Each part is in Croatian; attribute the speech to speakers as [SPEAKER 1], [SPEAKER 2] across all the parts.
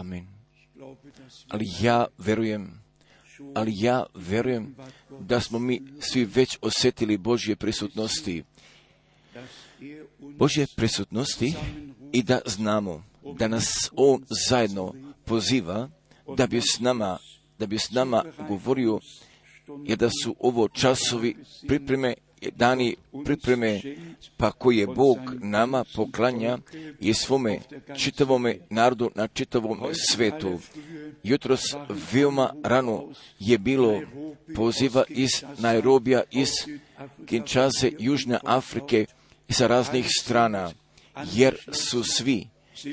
[SPEAKER 1] Amen. Ali ja verujem da smo mi svi već osjetili Božje prisutnosti. I da znamo da nas On zajedno poziva da bi s nama govorio, jer da su ovo časovi pripreme, dani pripreme, pa koje Bog nama poklanja i svome čitavome narodu na čitavom svetu. Jutros veoma rano je bilo poziva iz Nairobija, iz Kinshase, Južne Afrike i sa raznih strana, jer su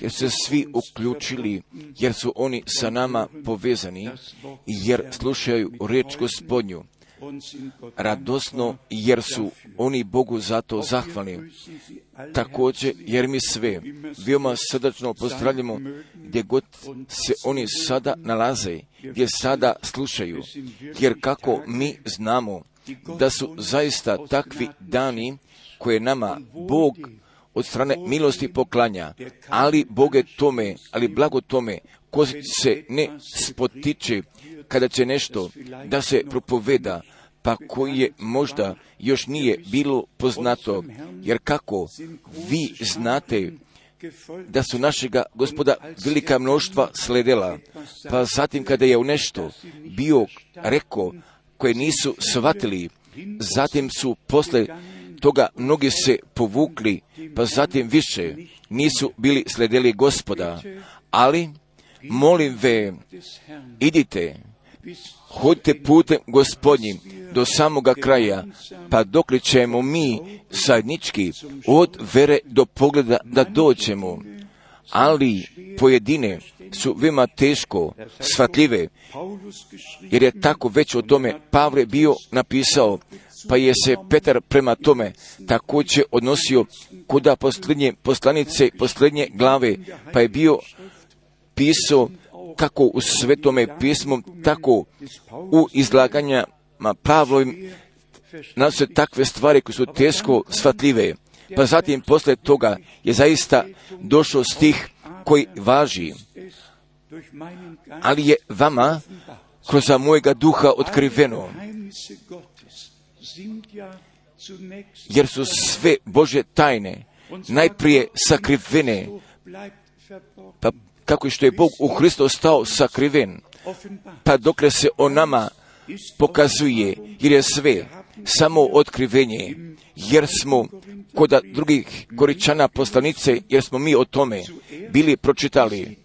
[SPEAKER 1] se svi uključili, jer su oni sa nama povezani, jer slušaju riječ Gospodnju radosno, jer su oni Bogu za to zahvalni. Također, jer mi sve veoma srdačno pozdravljamo gdje god se oni sada nalaze, gdje sada slušaju, jer kako mi znamo da su zaista takvi dani koje nama Bog od strane milosti poklanja, ali blago tome ko se ne spotiče kada će nešto da se propoveda, pa koji je možda još nije bilo poznato, jer kako vi znate da su našega Gospoda velika mnoštva sledela, pa zatim kada je u nešto bio rekao koje nisu shvatili, zatim su posle toga mnogi se povukli, pa zatim više nisu bili sledeli Gospoda. Ali, molim ve, idite, hodite putem Gospodnjim do samoga kraja, pa dokle ćemo mi zajednički od vere do pogleda da dođemo. Ali pojedine su veoma teško shvatljive, jer je tako već o tome Pavle bio napisao, pa je se Petar prema tome također odnosio kuda posljednje poslanice, posljednje glave, pa je bio pisao kako u Svetome pismu, tako u izlaganjama Pavlovim nalaze takve stvari koje su teško shvatljive. Pa zatim posle toga je zaista došao stih koji važi, ali je vama kroz mojega duha otkriveno, jer su sve Božje tajne najprije sakrivene, pa kako što je Bog u Hristu stao sakriven, pa dokle se o nama pokazuje, jer je sve samo otkrivenje, jer smo kod drugih Koričana poslanice, jer smo mi o tome bili pročitali.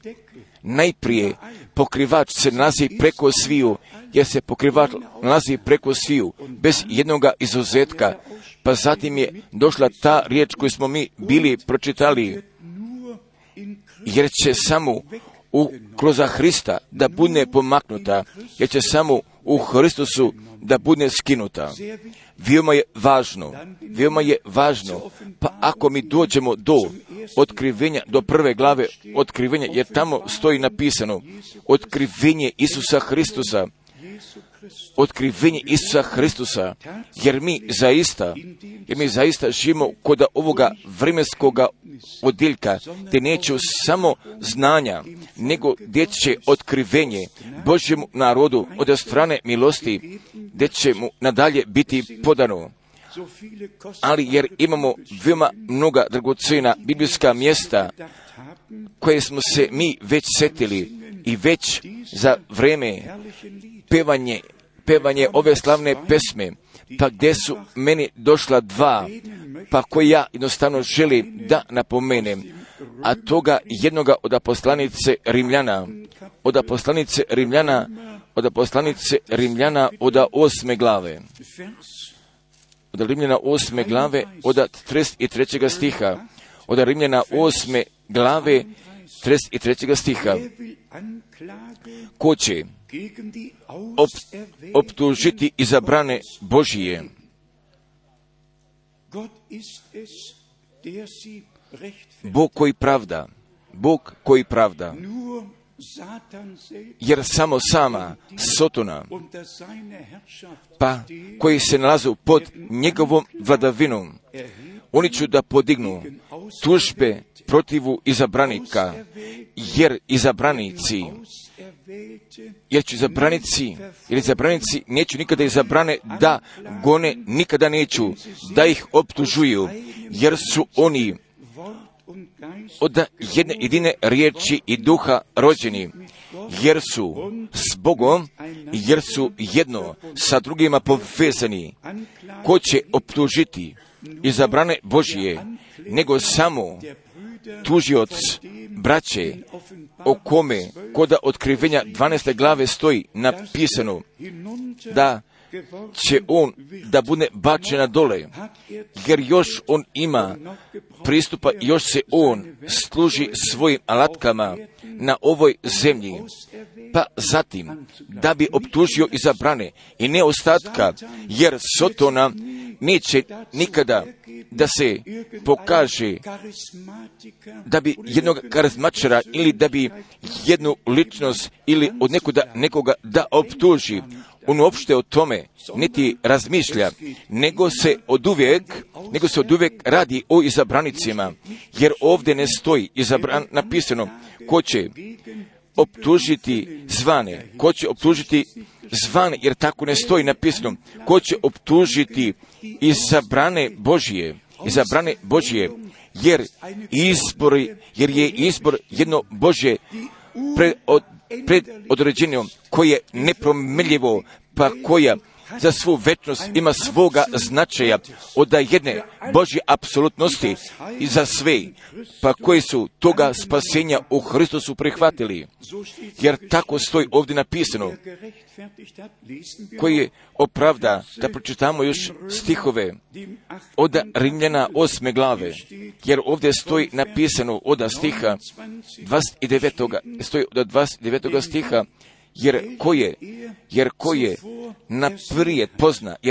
[SPEAKER 1] Najprije pokrivač se nalazi preko sviju, jer se pokrivač nalazi preko sviju, bez jednoga izuzetka, pa zatim je došla ta riječ koju smo mi bili pročitali, jer će samo kroz Hrista da bude pomaknuta, jer će samo u Hristusu da bude skinuta. Veoma je važno, pa ako mi dođemo do otkrivenja, do prve glave otkrivenja, jer tamo stoji napisano otkrivenje Isusa Hristusa, jer mi zaista živimo kod ovoga vremenskoga odjeljka, te neće samo znanja, nego gdje će otkrivenje Božjemu narodu od strane milosti, gdje će mu nadalje biti podano. Ali jer imamo veoma mnoga dragocjena biblijska mjesta koje smo se mi već setili i već za vreme pevanje ove slavne pesme, pa gdje su meni došla dva, pa koje ja jednostavno želim da napomenem, a toga jednoga od poslanice Rimljana, od 8. glave. Od Rimljana 8. glave, od 33. stiha. Od Rimljana 8. glave, 33. stiha. Ko će optužiti izabrane Božije? Bog koji pravda. Jer samo sama Sotona, pa koji se nalazu pod njegovom vladavinom, oni će da podignu tužbe protivu izabranika, jer izabranici neću nikada izabrane da gone, nikada neću da ih optužuju, jer su oni od jedne jedine riječi i duha rođeni, jer su s Bogom, jer su jedno sa drugima povezani. Ko će optužiti izabrane Božije, nego samo tužioc braće, o kome koda otkrivenja 12. glave stoji napisano da će on da bude bačena dole, jer još on ima pristupa, još se on služi svojim alatkama na ovoj zemlji, pa zatim da bi optužio izabrane i ne ostatka, jer Sotona neće nikada da se pokaže da bi jednog karizmatičara ili da bi jednu ličnost ili od nekoga da optuži. On uopšte o tome niti razmišlja, nego se od uvijek radi o izabranicima, jer ovdje ne stoji napisano ko će optužiti zvane, jer tako ne stoji napisano, ko će optužiti izabrane Božije, jer je izbor jedno Božje predodređeno, koje je nepromjenjivo, pa koja za svu večnost ima svoga značaja od jedne Božje apsolutnosti i za sve, pa koji su toga spasenja u Hristusu prihvatili. Jer tako stoji ovdje napisano, koji je opravda, da pročitamo još stihove od Rimljana 8. glave, jer ovdje stoji napisano od stiha 29. stiha, jer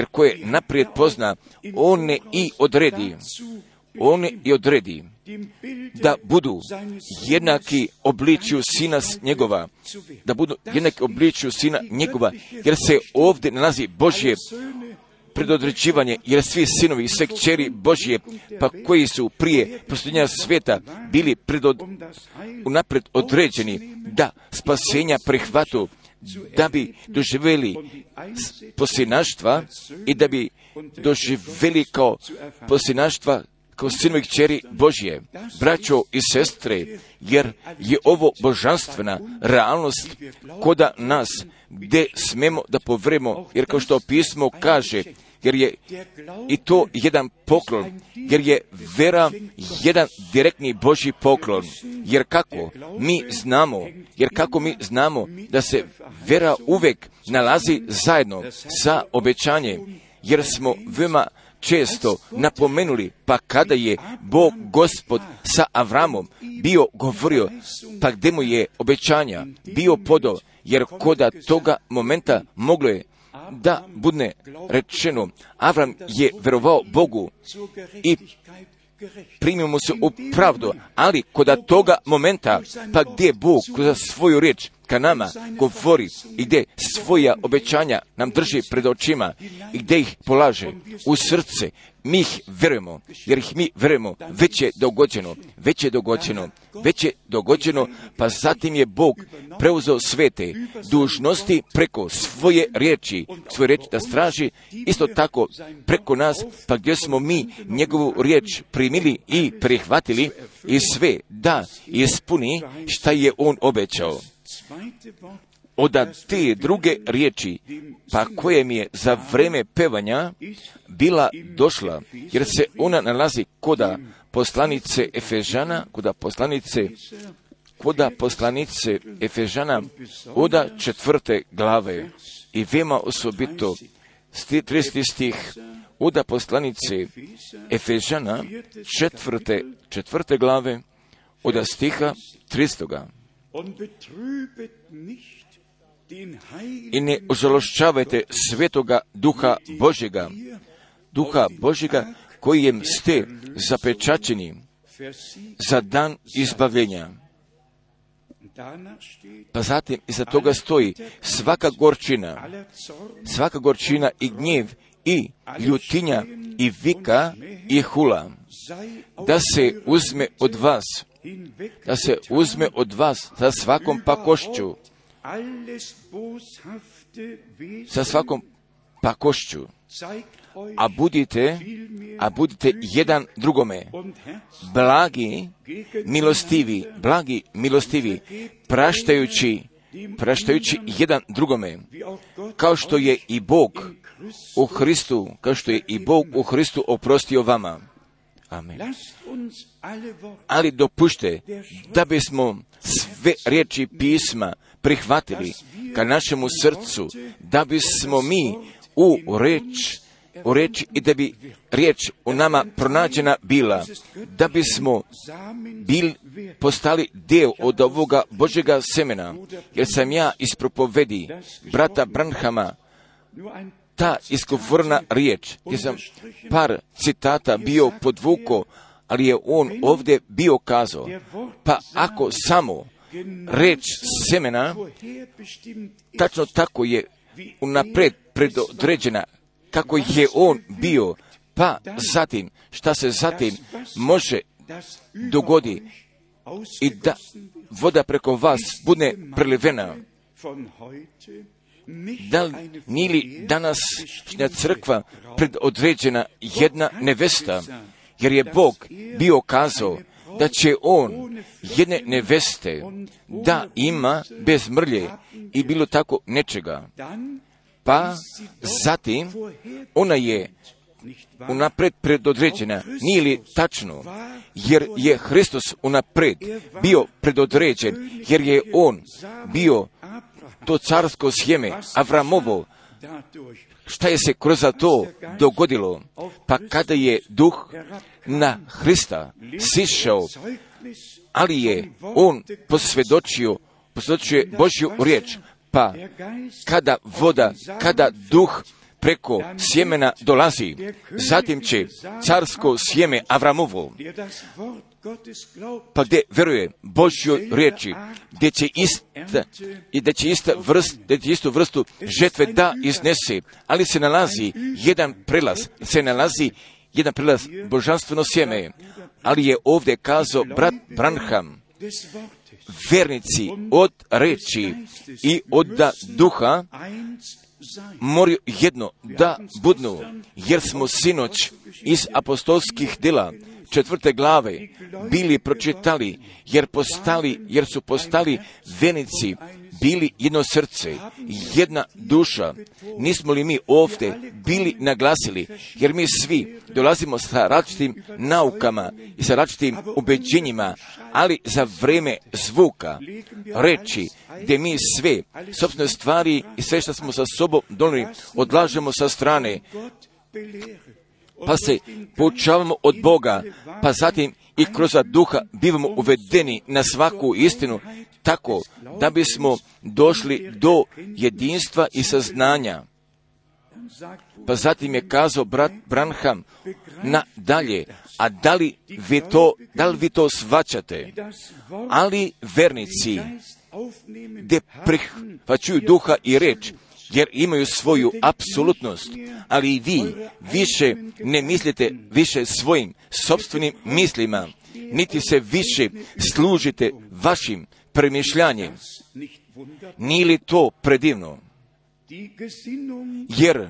[SPEAKER 1] ko je naprijed pozna, on i odredi da budu jednaki obličju sina njegova, jer se ovdje nalazi Božje predodređivanje, jer svi sinovi i sve kćeri Božje, pa koji su prije postojenja svijeta bili unaprijed određeni da spasenja prihvatu, da bi doživjeli posljednaštva i da bi doživjeli kao posljednaštva, kao sinovi kćeri Božje. Braćo i sestre, jer je ovo božanstvena realnost koda nas, gdje smemo da povremo, jer kao što pismo kaže, jer je i to jedan poklon, jer je vera jedan direktni Božji poklon, jer kako mi znamo da se vera uvijek nalazi zajedno sa obećanjem, jer smo veoma često napomenuli, pa kada je Bog Gospod sa Avramom bio govorio, pa gdje mu je obećanja bio podao, jer koda toga momenta moglo je da bude rečeno, Avram je verovao Bogu i primio mu se u pravdu, ali koda toga momenta, pa gdje Bog kroz svoju riječ ka nama govori i gdje svoja obećanja nam drži pred očima i gdje ih polaže u srce, mi ih verujemo, jer ih mi verujemo, već je dogođeno, pa zatim je Bog preuzeo svete dužnosti preko svoje riječi da straži, isto tako preko nas, pa gdje smo mi njegovu riječ primili i prihvatili i sve da ispuni šta je on obećao. Od te druge riječi, pa koje mi je za vreme pevanja bila došla, jer se ona nalazi koda poslanice Efežana od 4. glave i veoma osobito 30. stih od poslanice Efežana 4. glave od stiha 3. I ne ožalošćavajte svetoga duha Božjega kojem ste zapečaćeni za dan izbavljenja. Pa zatim iza toga stoji svaka gorčina i gnjev i ljutinja i vika i hula, da se uzme od vas, da se uzme od vas sa svakom pakošću, sa svakom pakošću, a budite jedan drugome blagi, milostivi, praštajući jedan drugome, kao što je i Bog u Hristu oprostio vama. Amen. Ali dopušte da bismo sve riječi pisma prihvatili ka našemu srcu, da bismo mi u reči i da bi riječ u nama pronađena bila, da bismo postali dio od ovoga Božjega semena, jer sam ja iz propovedi brata Branhama ta izgovorna riječ, gdje sam par citata bio podvukao, ali je on ovdje bio kazao, pa ako samo riječ semena, tačno tako je unaprijed predodređena, kako je on bio, pa zatim, šta se zatim može dogodi i da voda preko vas bude prelivena. Da nije li današnja crkva predodređena jedna nevesta, jer je Bog bio kazao da će on jedne neveste da ima bez mrlje i bilo tako nečega. Pa zatim ona je unaprijed predodređena. Nije li tačno? Jer je Hristos unaprijed bio predodređen, jer je on bio to carsko sjeme Avramovo. Šta je se kroz to dogodilo? Pa kada je duh na Hrista sišao, ali je on posvjedočio Božju riječ, pa kada duh preko sjemena dolazi, zatim će carsko sjeme Avramovo, pa gdje veruje Božjoj riječi, gdje će istu vrstu žetve da iznese, ali se nalazi jedan prelaz, božanstveno sjeme, ali je ovdje kazao brat Branham, vernici od reči i od duha moraju jedno da budnu, jer smo sinoć iz apostolskih djela 4. glave bili pročitali, jer su postali vernici, bili jedno srce, jedna duša. Nismo li mi ovdje bili naglasili, jer mi svi dolazimo sa različitim naukama i sa različitim ubeđenjima, ali za vrijeme zvuka, reči, gdje mi sve sopstvene stvari i sve što smo sa sobom donijeli odlažemo sa strane, pa se poučavamo od Boga, pa zatim i kroz duha bivamo uvedeni na svaku istinu, tako da bismo došli do jedinstva i saznanja. Pa zatim je kazao brat Branham nadalje, a da li vi to shvaćate? Ali vernici gdje prihvaćuju duha i reč, jer imaju svoju apsolutnost, ali i vi više ne mislite više svojim sopstvenim mislima, niti se više služite vašim premišljanjem. Nije li to predivno? Jer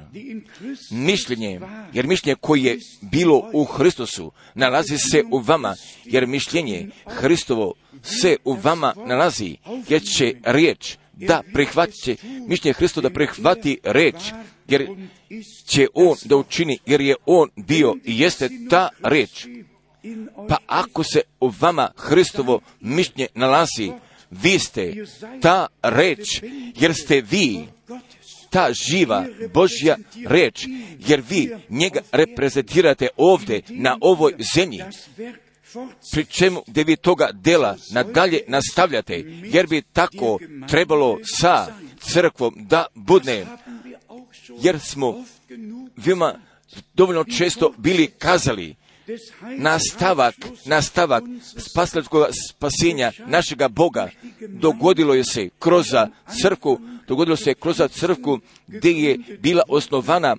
[SPEAKER 1] mišljenje koje je bilo u Hristosu nalazi se u vama, jer mišljenje Hristovo se u vama nalazi, jer će riječ da prihvati, mišljenje Hristo da prihvati riječ, jer će on da učini, jer je on bio i jeste ta riječ. Pa ako se u vama Hristovo mišljenje nalazi, vi ste ta riječ, jer ste vi ta živa Božja riječ, jer vi njega reprezentirate ovdje na ovoj zemlji, pri čemu gdje vi toga dela nadalje nastavljate, jer bi tako trebalo sa crkvom da bude, jer smo vima dovoljno često bili kazali, nastavak spasilačkog spasenja našega Boga dogodilo se kroz crkvu gdje je bila osnovana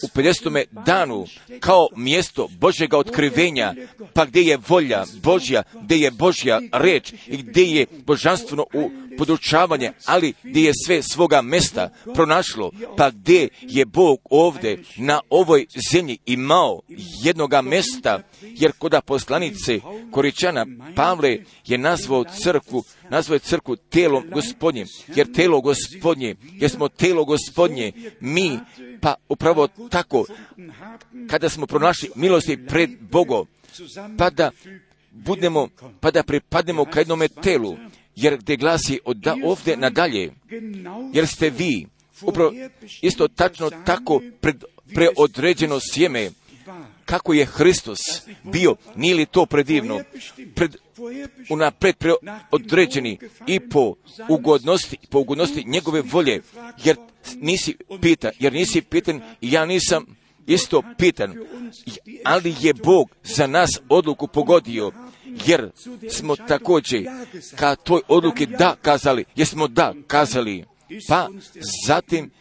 [SPEAKER 1] u 50. danu kao mjesto Božjega otkrivenja, pa gdje je volja Božja, gdje je Božja reč i gdje je božanstveno podučavanje, ali gdje je sve svoga mjesta pronašlo, pa gdje je Bog ovdje na ovoj zemlji imao jednoga mjesta, jer kod poslanice Koričana Pavle je nazvao crkvu telom Gospodnjim, jer telo Gospodnje, jer smo telo Gospodnje, mi, pa upravo tako, kada smo pronašli milosti pred Bogom, pa da pripadnemo ka jednome telu, jer gdje glasi od ovdje nadalje, jer ste vi, upravo isto tačno tako preodređeno sjeme, kako je Hristos bio, nije li to predivno, unapred preodređeni i po ugodnosti njegove volje, jer nisi pitan i ja nisam isto pitan, ali je Bog za nas odluku pogodio, jer smo također ka toj odluki da kazali, jer smo da kazali,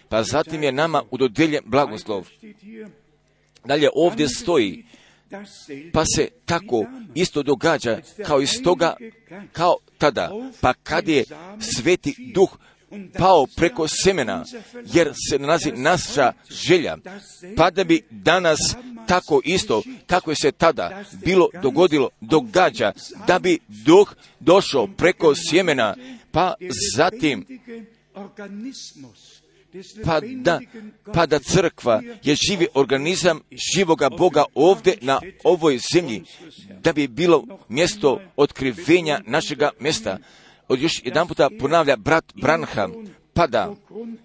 [SPEAKER 1] pa zatim je nama udodijeljen blagoslov. Dalje ovdje stoji, pa se tako isto događa kao tada, pa kad je Sveti Duh pao preko semena, jer se nalazi naša želja, pa da bi danas tako isto, kako je se tada događa, da bi Duh došao preko sjemena, pa zatim pa da crkva je živi organizam živoga Boga ovdje na ovoj zemlji, da bi bilo mjesto otkrivenja našega mjesta. Još jedan puta ponavlja brat Branham, pa da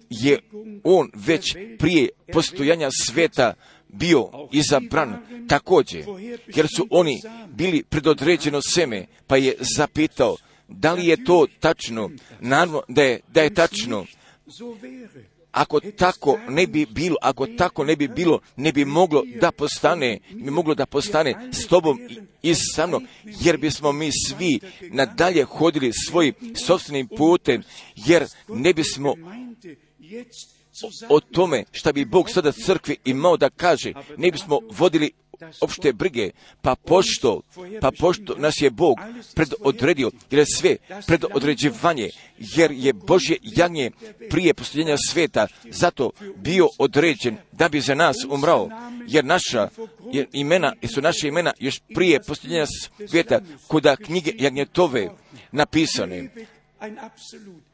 [SPEAKER 1] je on već prije postojanja sveta bio izabran također, jer su oni bili predodređeno seme, pa je zapitao, da li je to tačno? Naravno da je tačno. Ako tako ne bi bilo, ne bi moglo da postane s tobom i sa mnom, jer bismo mi svi nadalje hodili svojim sopstvenim putem, jer ne bismo o tome šta bi Bog sada crkvi imao da kaže, ne bismo vodili opšte brige, pa pošto nas je Bog predodredio, jer je sve predodređivanje, jer je Božje jagnje prije postojanja sveta, zato bio određen da bi za nas umrao, jer naša imena još prije postojanja sveta kod knjige jagnjetove napisane.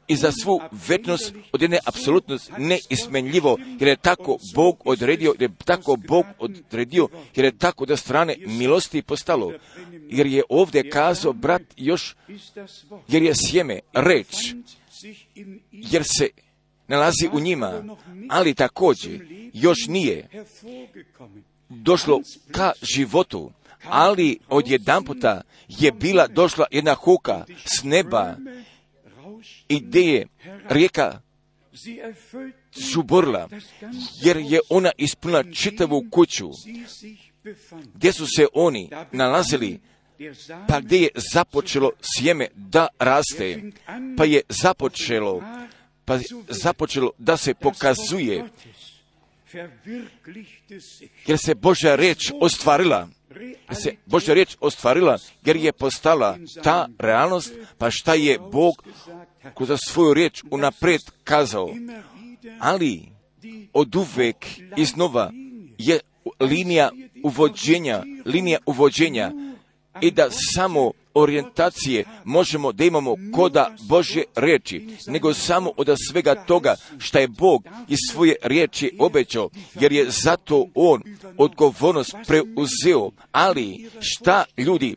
[SPEAKER 1] I za svu večnost od jedne apsolutnost neismenljivo, jer je tako Bog odredio, jer je tako da strane milosti postalo, jer je ovdje kazao brat još, jer je sjeme, reč, jer se nalazi u njima, ali također još nije došlo ka životu, ali odjedanputa je bila došla jedna huka s neba, i gdje je rijeka žuborila, jer je ona ispunila čitavu kuću, gdje su se oni nalazili, pa gdje je započelo sjeme da raste, pa je započelo da se pokazuje, jer se Božja riječ ostvarila, jer je postala ta realnost, pa šta je Bog kroz svoju riječ unaprijed kazao. Ali oduvek iznova je linija uvođenja i da samo orijentacije možemo da imamo koda Božje riječi, nego samo od svega toga što je Bog iz svoje riječi obećao, jer je zato On odgovornost preuzeo. Ali šta ljudi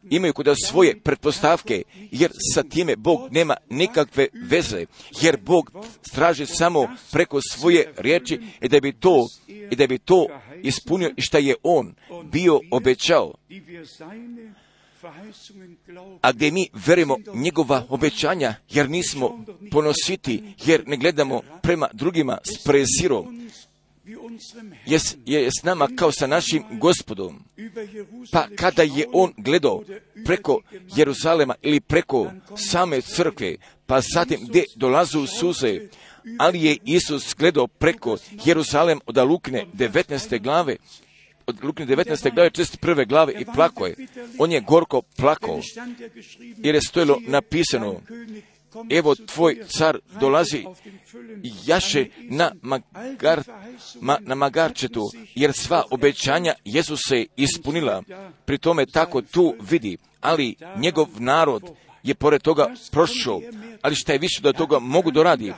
[SPEAKER 1] imaju kod svoje pretpostavke, jer sa time Bog nema nikakve veze, jer Bog traži samo preko svoje riječi i da bi to ispunio i šta je On bio obećao. A gdje mi verujemo njegova obećanja, jer nismo ponositi, jer ne gledamo prema drugima s prezirom, je s nama kao sa našim Gospodom. Pa kada je on gledao preko Jeruzalema ili preko same crkve, pa zatim gdje dolazu suze, ali je Isus gledao preko Jeruzalem od Lukine 19. glave, od Lukine 19. glave, 41. glave i plakao je. On je gorko plakao, jer je stojilo napisano, evo tvoj car dolazi, jaše na magarčetu, jer sva obećanja Jezus se ispunila. Pri tome tako tu vidi, ali njegov narod je pored toga prošao, ali šta je više da toga mogu doradi?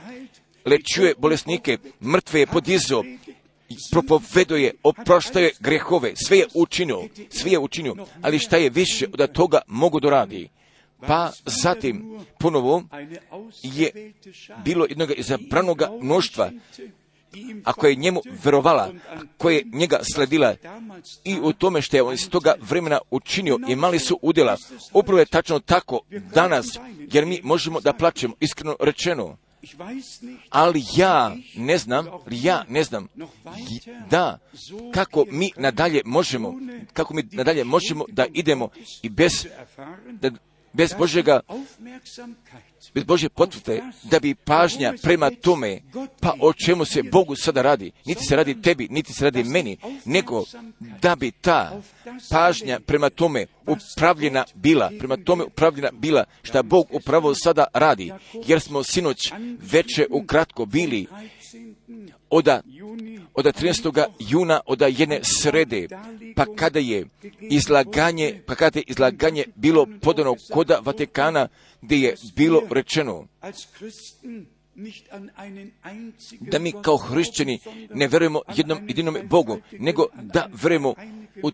[SPEAKER 1] Lečuje bolesnike, mrtve je podizao, propoveduje, oproštaje grehove, sve je učinio, ali šta je više da toga mogu doradi? Pa zatim ponovo je bilo jednog izabranoga mnoštva, ako je njemu verovala, koja je njega sledila i u tome što je on iz toga vremena učinio, imali su udjela. Upravo je tačno tako danas, jer mi možemo da plačemo, iskreno rečeno. Ali ja ne znam da kako mi nadalje možemo da idemo i bez Božje potvrde, da bi pažnja prema tome, pa o čemu se Bogu sada radi, niti se radi tebi, niti se radi meni, nego da bi ta pažnja prema tome upravljena bila, šta Bog upravo sada radi, jer smo sinoć veče ukratko bili od 13. juna, od jedne srede, pa kada je izlaganje bilo podano koda Vatikana, gdje je bilo rečeno da mi kao hrišćani ne verujemo jednom jedinom Bogu, nego da verujemo u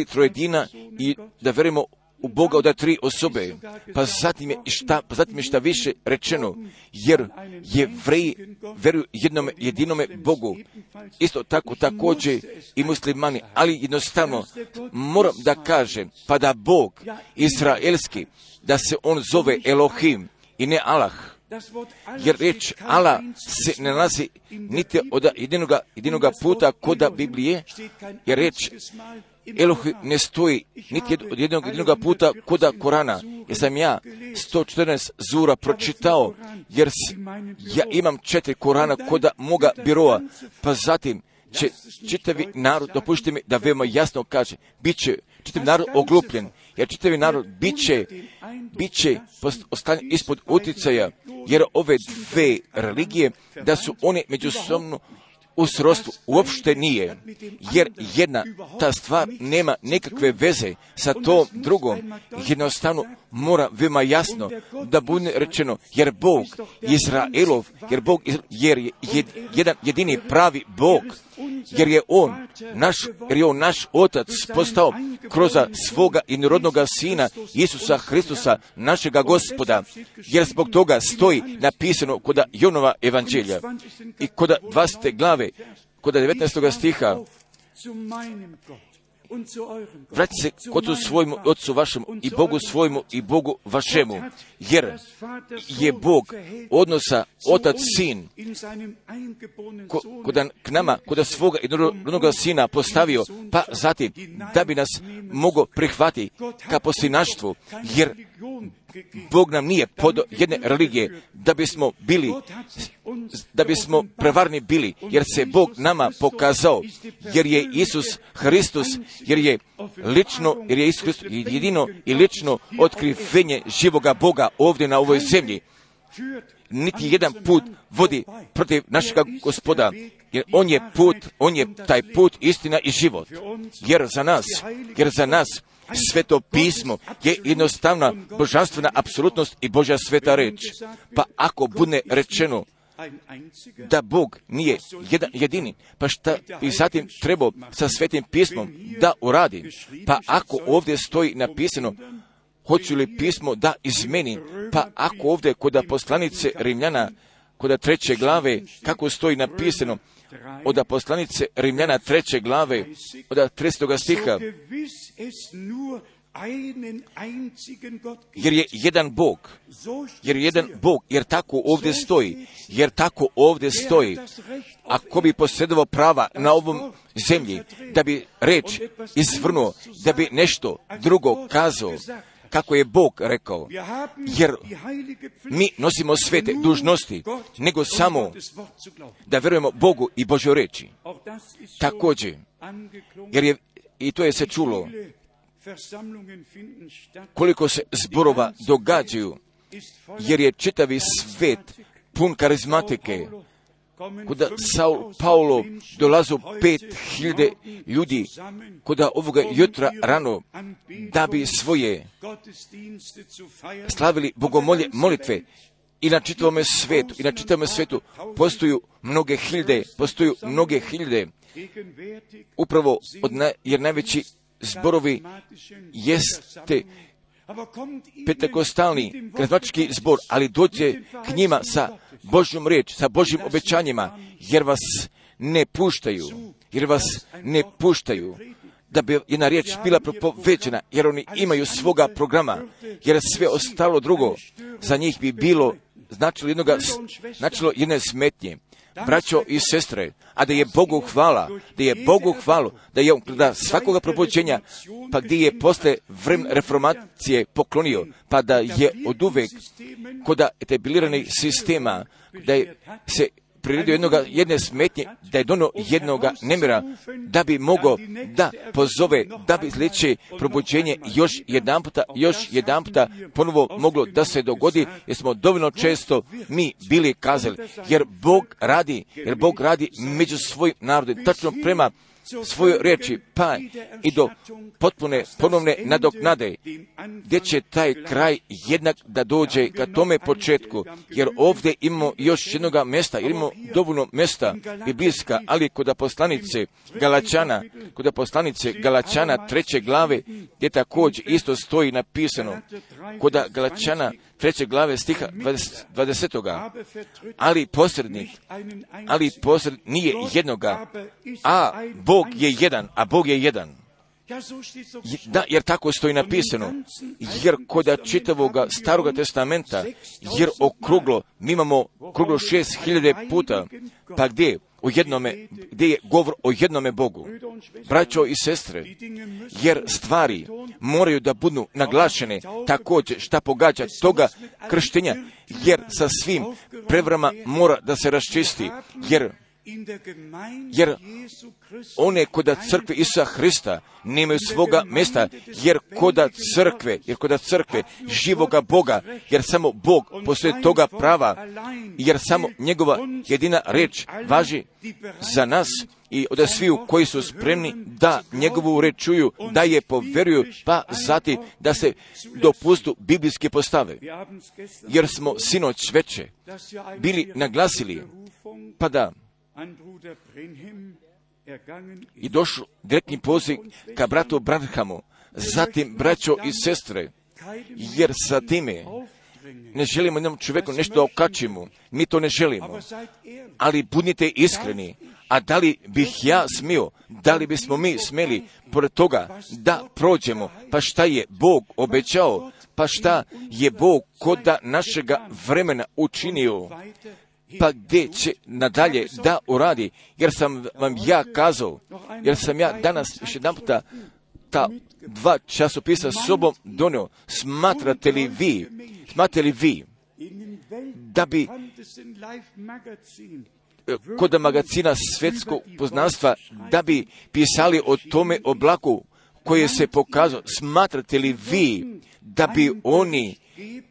[SPEAKER 1] trojedina i da verujemo u Boga od 3 osobe. Pa zatim je šta više rečeno, jer Jevreji veruju jednom jedinome Bogu. Isto tako također i muslimani, ali jednostavno moram da kažem, pa da Bog izraelski, da se on zove Elohim i ne Allah. Jer riječ Allah se ne nalazi niti od jedinoga puta koda Biblije, jer riječ Elohim ne stoji niti od jedinoga puta koda Korana. Jer sam ja 114 zura pročitao, jer ja imam 4 Korana koda moga biroa, pa zatim će čitavi narod, dopustite mi da veoma jasno kaže, bit će čitav narod oglupljen, jer čitavi narod bit će ostavljen ispod utjecaja, jer ove dve religije, da su one međusobno u srodstvu, uopšte nije, jer jedna ta stvar nema nekakve veze sa tom drugom. Jednostavno mora veoma jasno da bude rečeno, jer Bog Izraelov, jer je jedan jedini pravi Bog, jer je on naš Otac postao kroz svoga inorodnoga Sina Isusa Hristusa, našega Gospoda, jer zbog toga stoji napisano kod Jonova evanđelja i kod 20. glave, kod 19. stiha, vrati se k Ocu svojmu, Otcu vašemu i Bogu svojmu i Bogu vašemu, jer je Bog odnosa Otac Sin k nama, kod svoga jednoga Sina postavio, pa zatim da bi nas mogao prihvatiti ka poslinaštvu, jer Bog nam nije pod jedne religije, da bismo prevarni bili, jer se Bog nama pokazao, jer je Isus Hristos, jer je Isus Hristos jedino i lično otkrivenje živoga Boga ovdje na ovoj zemlji. Niti jedan put vodi protiv našega Gospoda, jer on je taj put, istina i život. Jer za nas Sveto pismo je jednostavna božanstvena apsolutnost i Božja sveta reč. Pa ako bude rečeno da Bog nije jedan jedini, pa šta bi zatim trebao sa Svetim pismom da uradi? Pa ako ovdje stoji napisano, hoću li pismo da izmeni? Pa ako ovdje kod poslanice Rimljana, kod 3. glave, kako stoji napisano, od poslanice Rimljana 3. glave, od 30. stiha, jer je jedan Bog, jer tako ovdje stoji, ako bi posjedovao prava na ovom zemlji, da bi reč izvrnuo, da bi nešto drugo kazao, kako je Bog rekao, jer mi nosimo svete dužnosti, nego samo da vjerujemo Bogu i Božjoj riječi. Također, jer i to je se čulo, koliko se zborova događaju, jer je čitavi svet pun karizmatike. Kuda Saul Paulo dolazu 5000 ljudi, kuda ovoga jutra rano, da bi svoje slavili bogomolje molitve. I na čitavome svijetu postoju mnoge hiljade, upravo jer najveći zborovi jeste pentekostalni karizmatički zbor, ali dođe k njima sa Božjom riječ, sa Božjim obećanjima, jer vas ne puštaju, da bi jedna riječ bila propovećena, jer oni imaju svoga programa, jer sve ostalo drugo za njih bi bilo značilo jedne smetnje. Braćo i sestre, a da je Bogu hvala, da je on da svakoga probuđenja, pa gdje je posle vremena reformacije poklonio, pa da je oduvek kod etabliranih sistema, da je se priredio jedne smetnje, da je dono jednoga nemira, da bi mogao da pozove, da bi sljedeće probuđenje još jedanputa ponovo moglo da se dogodi, jer smo dovoljno često mi bili kazali, jer Bog radi među svojim narodom, tačno prema svojoj riječi, pa i do potpune ponovne nadoknade, gdje će taj kraj jednak da dođe ka tome početku, jer ovdje imamo još jednoga mjesta, jer imamo dovoljno mjesta biblijska, ali kod poslanice Galačana 3. glave, gdje također isto stoji napisano, kod Galačana 3. glave stiha 20. ali posrednik nije jednoga, a Bog je jedan. Da, jer tako stoji napisano, jer kod čitavoga Staroga testamenta, jer mi imamo okruglo 6000 puta, pa gdje je govor o jednome Bogu. Braćo i sestre, jer stvari moraju da budu naglašene također šta pogađa toga krštenja, jer sa svim prevrama mora da se raščisti, jer one koda crkve Isusa Hrista nemaju svoga mjesta, jer koda crkve živoga Boga, jer samo Bog poslije toga prava, jer samo njegova jedina riječ važi za nas i od sviju koji su spremni da njegovu riječ čuju, da je povjeruju, pa zatim da se dopustu biblijske postave. Jer smo sinoć veče bili naglasili, pa da i došlo direktni poziv ka bratu Branhamu, zatim braćo i sestre, jer sa time ne želimo jednom čovjeku nešto da okačimo, mi to ne želimo, ali budite iskreni, a da li bih ja smio, da li bismo mi smjeli pored toga da prođemo, pa šta je Bog obećao, pa šta je Bog koda našega vremena učinio, pa gdje će nadalje da uradi, jer sam vam ja kazao, jer sam ja danas još jedan puta ta 2 časopisa s sobom donio, smatrate li vi da bi kod magazina svjetskog poznanstva da bi pisali o tome oblaku koje se pokazao, smatrate li vi da bi oni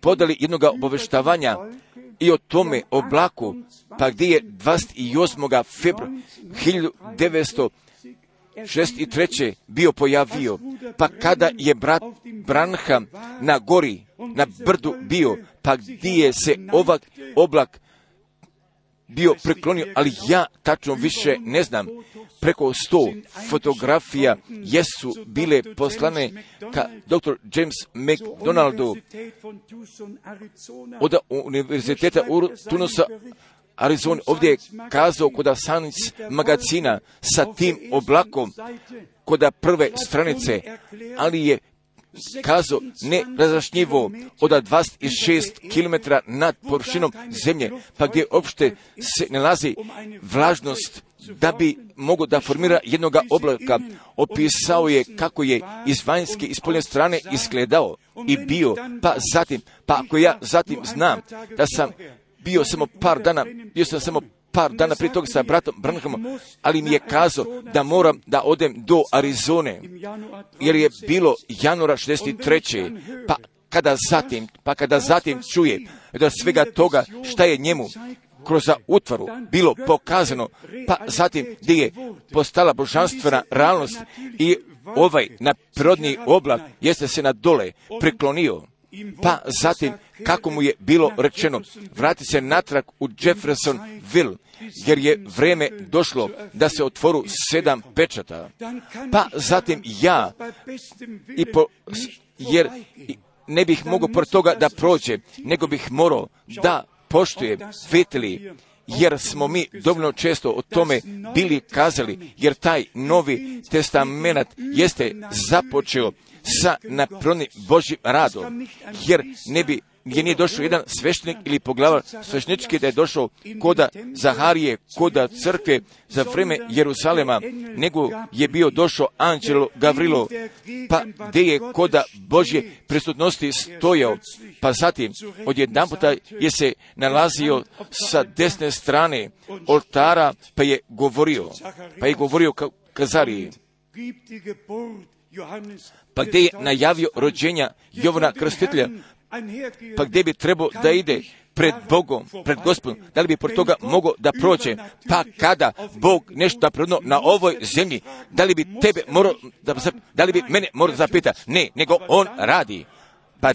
[SPEAKER 1] podali jednoga obaveštavanja i o tome oblaku, pa gdje je 28. februara 1963. bio pojavio, pa kada je brat Branham na gori, na brdu bio, pa gdje je se oblak bio preklonio, ali ja tačno više ne znam. Preko 100 fotografija jesu bile poslane ka dr. James McDonaldu od univerziteta Tucsonusa, Arizona. Ovdje je kazao kod Science magazina sa tim oblakom kod prve stranice, ali je kazao nerazjašnjivo od 26 km nad površinom zemlje, pa gdje uopšte se nalazi vlažnost da bi mogo da formira jednoga oblaka. Opisao je kako je iz vanjske i spoljne strane izgledao i bio, pa ako ja zatim znam da sam bio samo par dana prije toga sa bratom Branhamom, ali mi je kazao da moram da odem do Arizone, jer je bilo januara 63. Kada zatim čuje da svega toga šta je njemu kroz utvaru bilo pokazano, pa zatim gdje je postala božanstvena realnost i ovaj naprirodni oblak jeste se na dole preklonio. Pa zatim, kako mu je bilo rečeno, vrati se natrag u Jeffersonville, jer je vreme došlo da se otvoru 7 pečata. Pa zatim ja, jer ne bih mogao pored toga da prođe, nego bih morao da poštuje, vidjeli, jer smo mi dovoljno često o tome bili kazali, jer taj Novi Testament jeste započeo sa naprirodnim Božjim radom, jer nije došao jedan sveštenik ili poglavar sveštenički da je došao koda Zaharije, koda crkve za vreme Jeruzalema, nego je bio došao anđelo Gavrilo, pa gdje je koda Božje prisutnosti stojao, pa zatim odjedanputa je se nalazio sa desne strane oltara, pa je govorio Kazariji, pa gdje je najavio rođenja Jovana Krstitelja, pa gdje bi trebao da ide pred Bogom, pred Gospodom, da li bi pored toga mogao da prođe, pa kada Bog nešto prirodno na ovoj zemlji, da li bi mene morao zapitati? Ne, nego On radi. Pa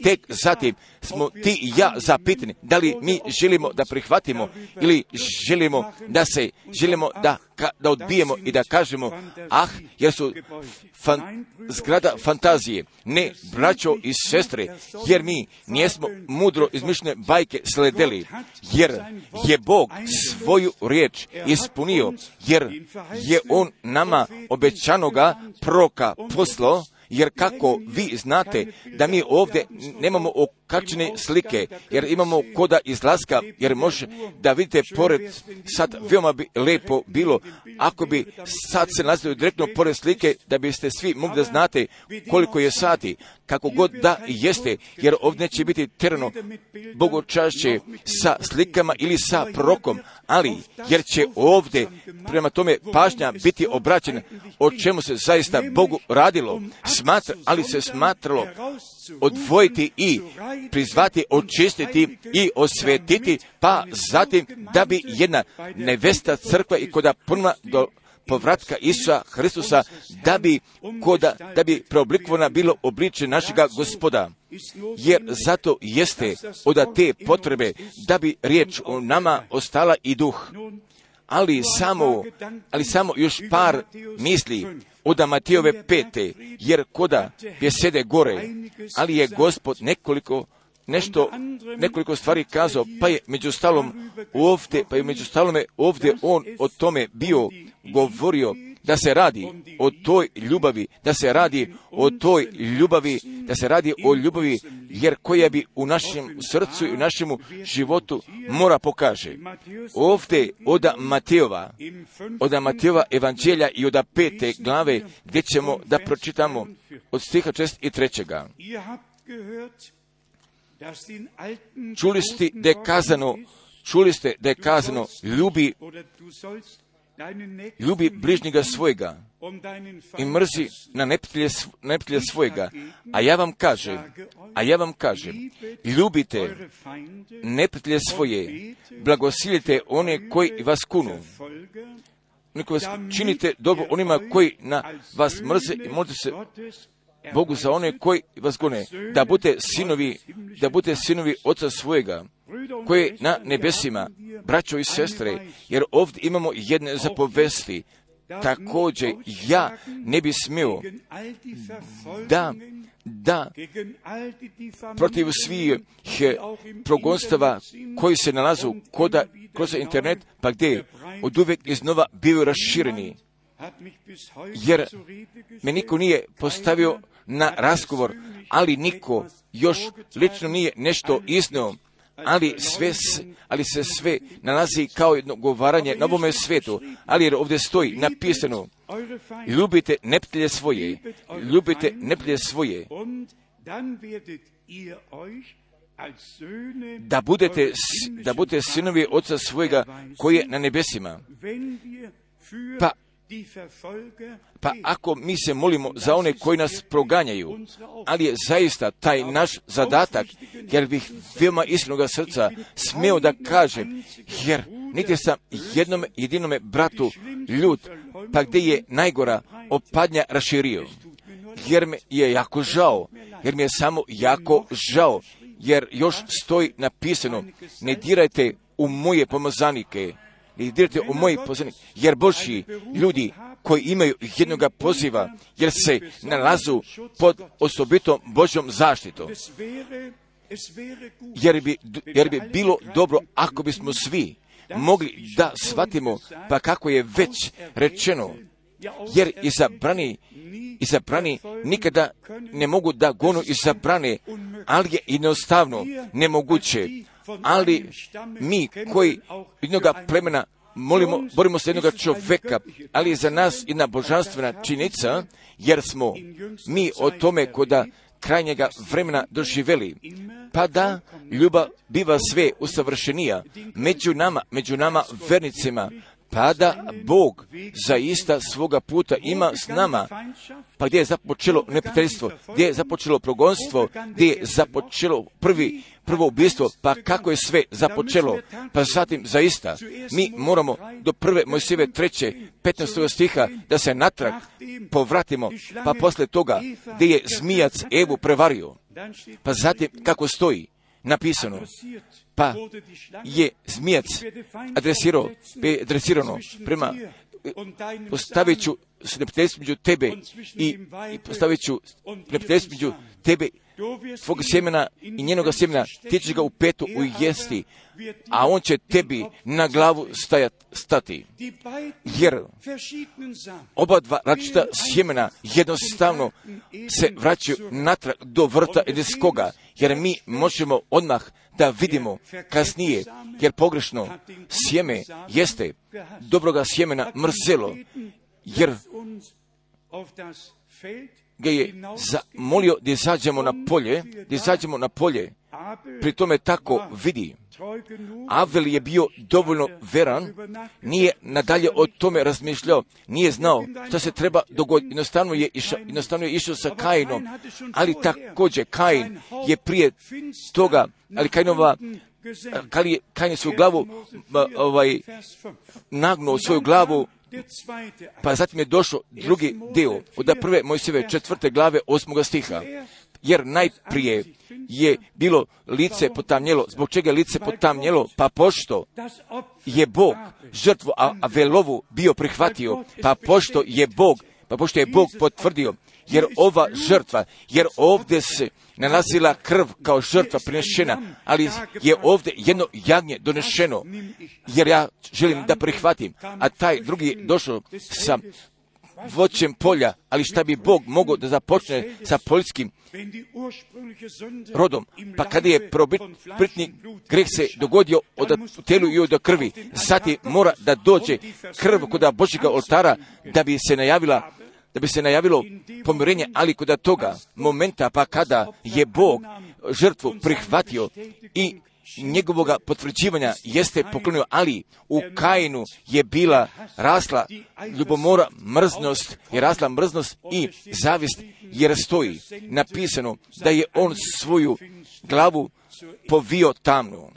[SPEAKER 1] tek zatim smo ti i ja zapitani, da li mi želimo da prihvatimo ili želimo da odbijemo i da kažemo, jer su zgrada fantazije. Ne, braćo i sestre, jer mi nijesmo mudro izmišljene bajke sledeli, jer je Bog svoju riječ ispunio, jer je On nama obećanoga proroka poslao. Jer kako vi znate da mi ovdje nemamo okačene slike, jer imamo koda izlaska, jer može da vidite pored, sad veoma bi lepo bilo, ako bi sad se nalazili direktno pored slike, da biste svi mogli da znate koliko je sati, kako god da jeste, jer ovdje neće biti terano bogočašće sa slikama ili sa prorokom, ali jer će ovdje prema tome pažnja biti obraćena o čemu se zaista Bogu radilo, ali se smatralo odvojiti i prizvati, očistiti i osvetiti, pa zatim da bi jedna nevesta crkva i koda ponovna do povratka Isusa Hristusa, da bi preoblikovana bilo obličje našega Gospoda. Jer zato jeste od te potrebe da bi riječ o nama ostala i duh. Ali samo još par misli od Matejove 5. jer koda besede gore, ali je Gospod nekoliko stvari kazao, pa je među stalom ovdje on o tome bio govorio, da se radi o toj ljubavi, jer koja bi u našem srcu i u našemu životu mora pokaže. Ovdje od Matejova evanđelja i od 5. glave, gdje ćemo da pročitamo od stiha 6 i 3. Čuli ste da je kazano, ljubi bližnjega svojega i mrzi na neprijatelja svojega. A ja vam kažem, ljubite neprijatelje svoje, blagosiljite one koji vas kunu, činite dobro onima koji na vas mrze i molite se Bogu za one koji vas gone, da budete sinovi Oca svojega, koji je na nebesima, braćo i sestre, jer ovdje imamo jedne zapovesti. Također, ja ne bi smio da protiv svih progonstava koji se nalazu kroz internet, pa gdje od uvijek iznova bivaju rašireni. Jer me niko nije postavio na razgovor, ali niko još lično nije nešto iznio, ali se sve nalazi kao jedno govaranje na ovome svijetu, ali jer ovdje stoji napisano, ljubite neprijatelje svoje, da budete sinovi Oca svojega koji je na nebesima. Pa ako mi se molimo za one koji nas proganjaju, ali je zaista taj naš zadatak, jer bih veoma iskrenoga srca smio da kažem, jer niti sam jedinome bratu ljud, pa gdje je najgora opadnja raširio, jer me je jako žao, jer mi je samo jako žao, jer još stoji napisano, ne dirajte u moje pomazanike, jer Božji ljudi koji imaju jednoga poziva, jer se nalazu pod osobitom Božjom zaštitom. Jer bi bilo dobro ako bismo svi mogli da shvatimo, pa kako je već rečeno, jer izabrani nikada ne mogu da gonu izabrane, ali je jednostavno nemoguće. Ali mi koji jednoga plemena borimo se jednoga čoveka, ali je za nas jedna božanstvena činjenica, jer smo mi o tome koda krajnjega vremena doživjeli, pa da ljubav biva sve usavršenija među nama vernicima, pa da Bog zaista svoga puta ima s nama, pa gdje je započelo neprijateljstvo, gdje je započelo progonstvo, gdje je započelo prvo ubijstvo, pa kako je sve započelo, pa zatim zaista mi moramo do 1. Mojsijeve 3. 15. stiha da se natrag povratimo, pa posle toga gdje je zmijac Evu prevario, pa zatim kako stoji napisano, pa je zmijac adresirano prema postavit ću neprijateljstvo među tebe i postavit ću neprijateljstvo među tebe, tvog sjemena i njenoga sjemena, ti ćeš ga u petu ujesti, a on će tebi na glavu stati. Jer oba dva različita sjemena jednostavno se vraćaju natrag do vrta Edenskoga, jer mi možemo odmah da vidimo kasnije, jer pogrešno sjeme jeste dobroga sjemena mrzelo, jer ga je zamolio da izađemo na polje, pri tome tako vidi. Avel je bio dovoljno veran, nije nadalje o tome razmišljao, nije znao što se treba dogoditi, jednostavno je išao sa Kainom, ali također Kain je prije toga, ali Kain je svoju glavu nagnuo svoju glavu, pa zatim je došao drugi dio od 1. Mojsijeve 4. glave 8. stiha, jer najprije je bilo lice potamnjelo. Zbog čega je lice potamnjelo? Pa pošto je Bog žrtvu Avelovu bio prihvatio, pa pošto je Bog potvrdio, jer ova žrtva, jer ovdje se nalazila krv kao žrtva prinešena, ali je ovdje jedno jagnje donešeno, jer ja želim da prihvatim, a taj drugi došao sa voćem polja, ali šta bi Bog mogao da započne sa poljskim rodom, pa kada je prvobitni greh se dogodio od telu i od krvi, zatim mora da dođe krv kod Božjega oltara da bi se najavilo pomirenje, ali kod toga momenta, pa kada je Bog žrtvu prihvatio i njegovoga potvrđivanja jeste poklonio, ali u Kainu je rasla ljubomora, mrznost i zavist, jer stoji napisano da je on svoju glavu povio tamnu.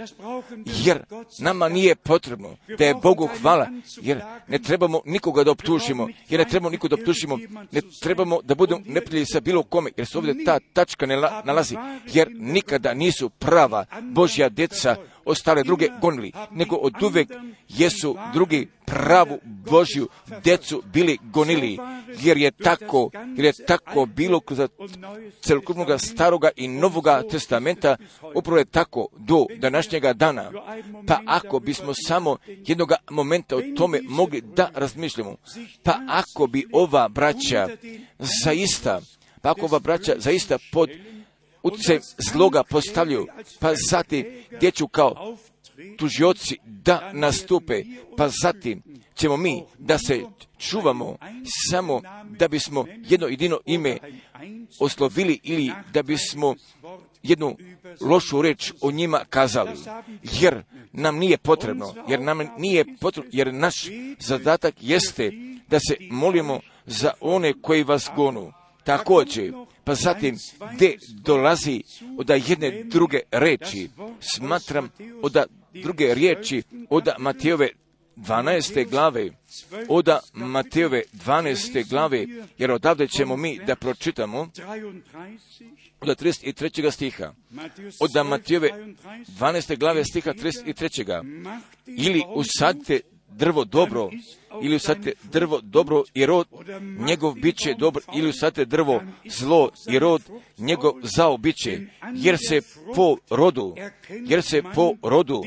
[SPEAKER 1] Jer nama nije potrebno da je Bogu hvala, jer ne trebamo nikoga da optužimo, ne trebamo da budemo neprijatelji sa bilo kome, jer se ovdje ta tačka ne nalazi, jer nikada nisu prava Božja djeca ostale druge gonili, nego od uvek jesu drugi pravu Božju djecu bili gonili, jer je tako bilo kroz celokupnog staroga i novoga testamenta, upravo je tako do današnjega dana. Pa ako bismo samo jednoga momenta o tome mogli da razmišljamo, pa ako bi ova braća zaista pa ako ova braća zaista pod utjecajem zloga postavljaju, pa zatim gdje ću kao tužioci da nastupe, pa zatim ćemo mi da se čuvamo samo da bismo jedno jedino ime oslovili ili da bismo jednu lošu reč o njima kazali, jer nam nije potrebno, jer naš zadatak jeste da se molimo za one koji vas gonu. Također, pa zatim gdje dolazi od jedne druge reči, smatram od druge riječi od Matejove 12. glave, od Matejove 12. glave, jer odavde ćemo mi da pročitamo od 33. stiha, od Matejove 12. glave stiha 33. Ili usadite drvo dobro, ili usadite drvo dobro i rod njegov biće dobro, ili usadite drvo zlo i rod njegov zao biće, jer se po rodu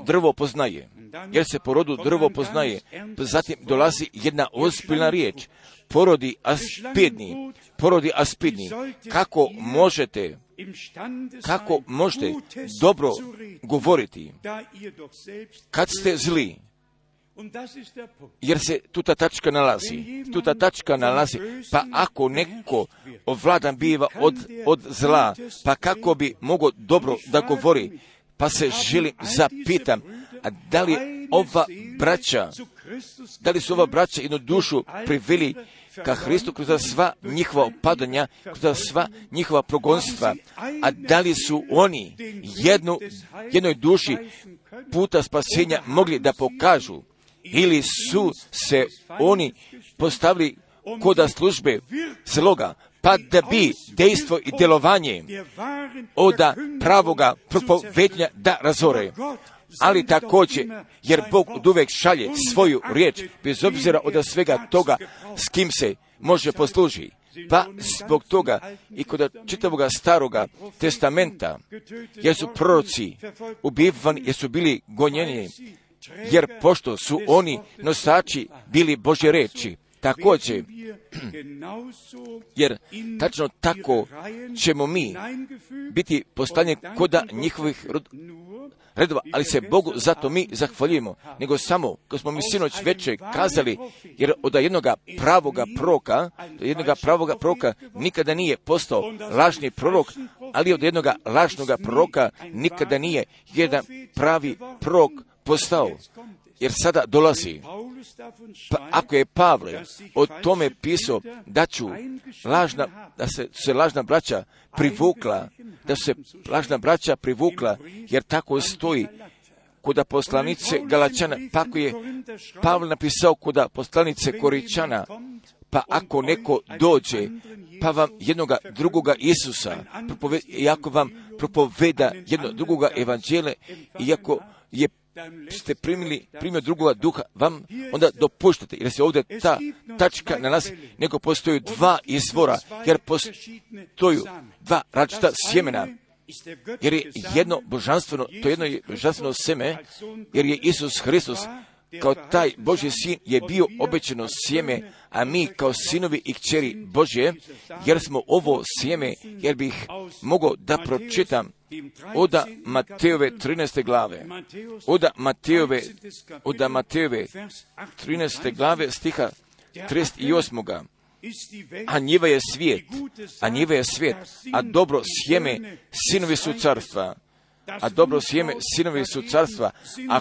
[SPEAKER 1] drvo poznaje. Jer se po rodu drvo poznaje. Zatim dolazi jedna ozbiljna riječ. Porodi aspidni. Kako možete dobro govoriti kad ste zli? Jer se tuta tačka nalazi. Pa ako neko ovladan biva od zla, pa kako bi mogao dobro da govori? Pa se želim zapitam, a da li su ova braća jednu dušu priveli ka Hristu kroz sva njihova opadanja, kroz sva njihova progonstva, a da li su oni jednoj duši puta spasenja mogli da pokažu, ili su se oni postavili koda službe zloga, pa da bi dejstvo i djelovanje od pravoga propovednja da razore. Ali također, jer Bog oduvek šalje svoju riječ, bez obzira od svega toga s kim se može poslužiti. Pa zbog toga i kod čitavoga staroga testamenta, jer su proroci ubivani, jer su bili gonjeni, jer pošto su oni nosači bili Božje reči, također, jer tačno tako ćemo mi biti poslani koda njihovih redova, ali se Bogu zato mi zahvaljujemo, nego samo, kao smo mi sinoć večer kazali, jer od jednoga pravoga proroka nikada nije postao lažni prorok, ali od jednoga lažnoga proroka nikada nije jedan pravi prorok postao. Jer sada dolazi, pa ako je Pavle o tome pisao da se lažna braća privukla, jer tako stoji kod poslanice Galačana, pa ako je Pavle napisao kod poslanice Koričana, pa ako neko dođe, pa vam jednoga drugoga Isusa, i ako vam propoveda jedno drugoga evanđelja, iako ste primio drugoga duha, vam onda dopuštate, jer se ovdje ta tačka nalazi, nego postoji dva izvora, jer postoji dva različita sjemena, jer je jedno božanstveno, to jedno je božanstveno sjeme, jer je Isus Hristos kao taj Božji sin je bio obećano sjeme, a mi kao sinovi i kćeri Božje, jer smo ovo sjeme, jer bih mogao da pročitam od Matejove 13. glave, od Matejove 13. glave stiha 38. A njiva je svijet, a dobro sjeme sinovi su carstva. A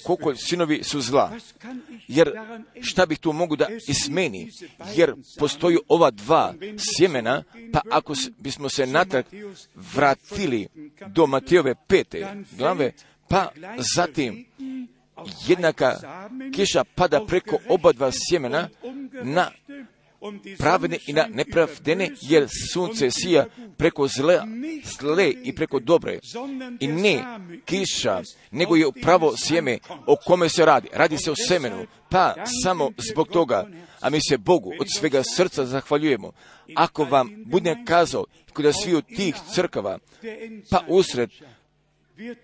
[SPEAKER 1] kukolj sinovi su zla. Jer šta bih tu mogu da ismeni? Jer postoji ova dva sjemena, pa ako bismo se natrag vratili do Matejove 5. glave, pa zatim jednaka kiša pada preko oba dva sjemena na pravedne i na nepravdene, jer sunce sija preko zle i preko dobre. I ne kiša, nego je pravo sjeme o kome se radi. Radi se o semenu, pa samo zbog toga, a mi se Bogu od svega srca zahvaljujemo. Ako vam budem kazao kod sviju tih crkava, pa usred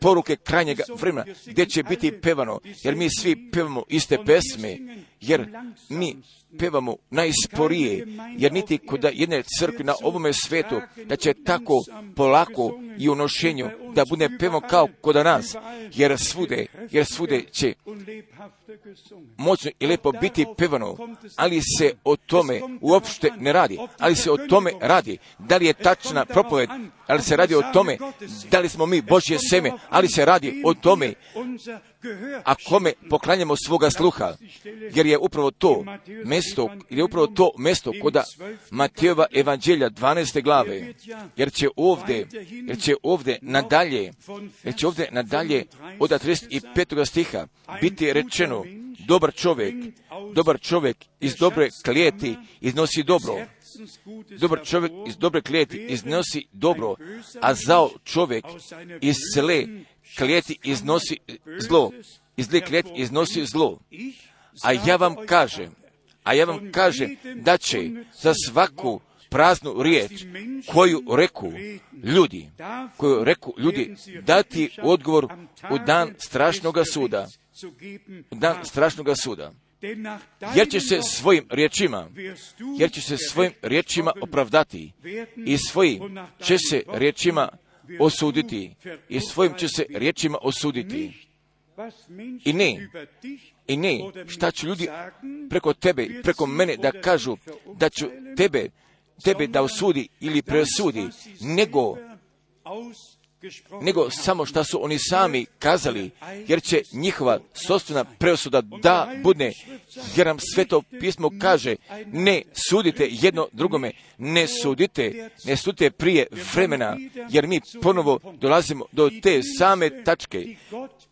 [SPEAKER 1] poruke krajnjega vremena, gdje će biti pevano, jer mi svi pevamo iste pesme, jer mi pevamo najsporije, jer niti kod jedne crkve na ovome svetu, da će tako polako i u nošenju, da bude pevano kao kod nas, jer svude će moćno i lepo biti pevano, ali se o tome uopšte ne radi, ali se o tome radi, da li je tačna propoved, ali se radi o tome, da li smo mi Božje seme, ali se radi o tome, a kome poklanjamo svoga sluha, jer je upravo to mesto kod Matejova evanđelja 12. glave, jer će ovdje nadalje od 35. stiha biti rečeno, dobar čovjek iz dobre klijeti iznosi dobro. Dobar čovjek iz dobre klijeti iznosi dobro, a zao čovjek iz zle klijeti iznosi zlo. Iz zle klijeti iznosi zlo. A ja vam kažem da će za svaku praznu riječ koju reku ljudi dati odgovor u dan strašnoga suda. Jer će se svojim riječima opravdati i svojim će se riječima osuditi. I ne, šta će ljudi preko tebe, preko mene da kažu, da ću tebe da osudi ili presudi, nego samo šta su oni sami kazali, jer će njihova sopstvena presuda da bude, jer nam Sveto pismo kaže, ne sudite jedno drugome, ne sudite prije vremena, jer mi ponovo dolazimo do te same tačke,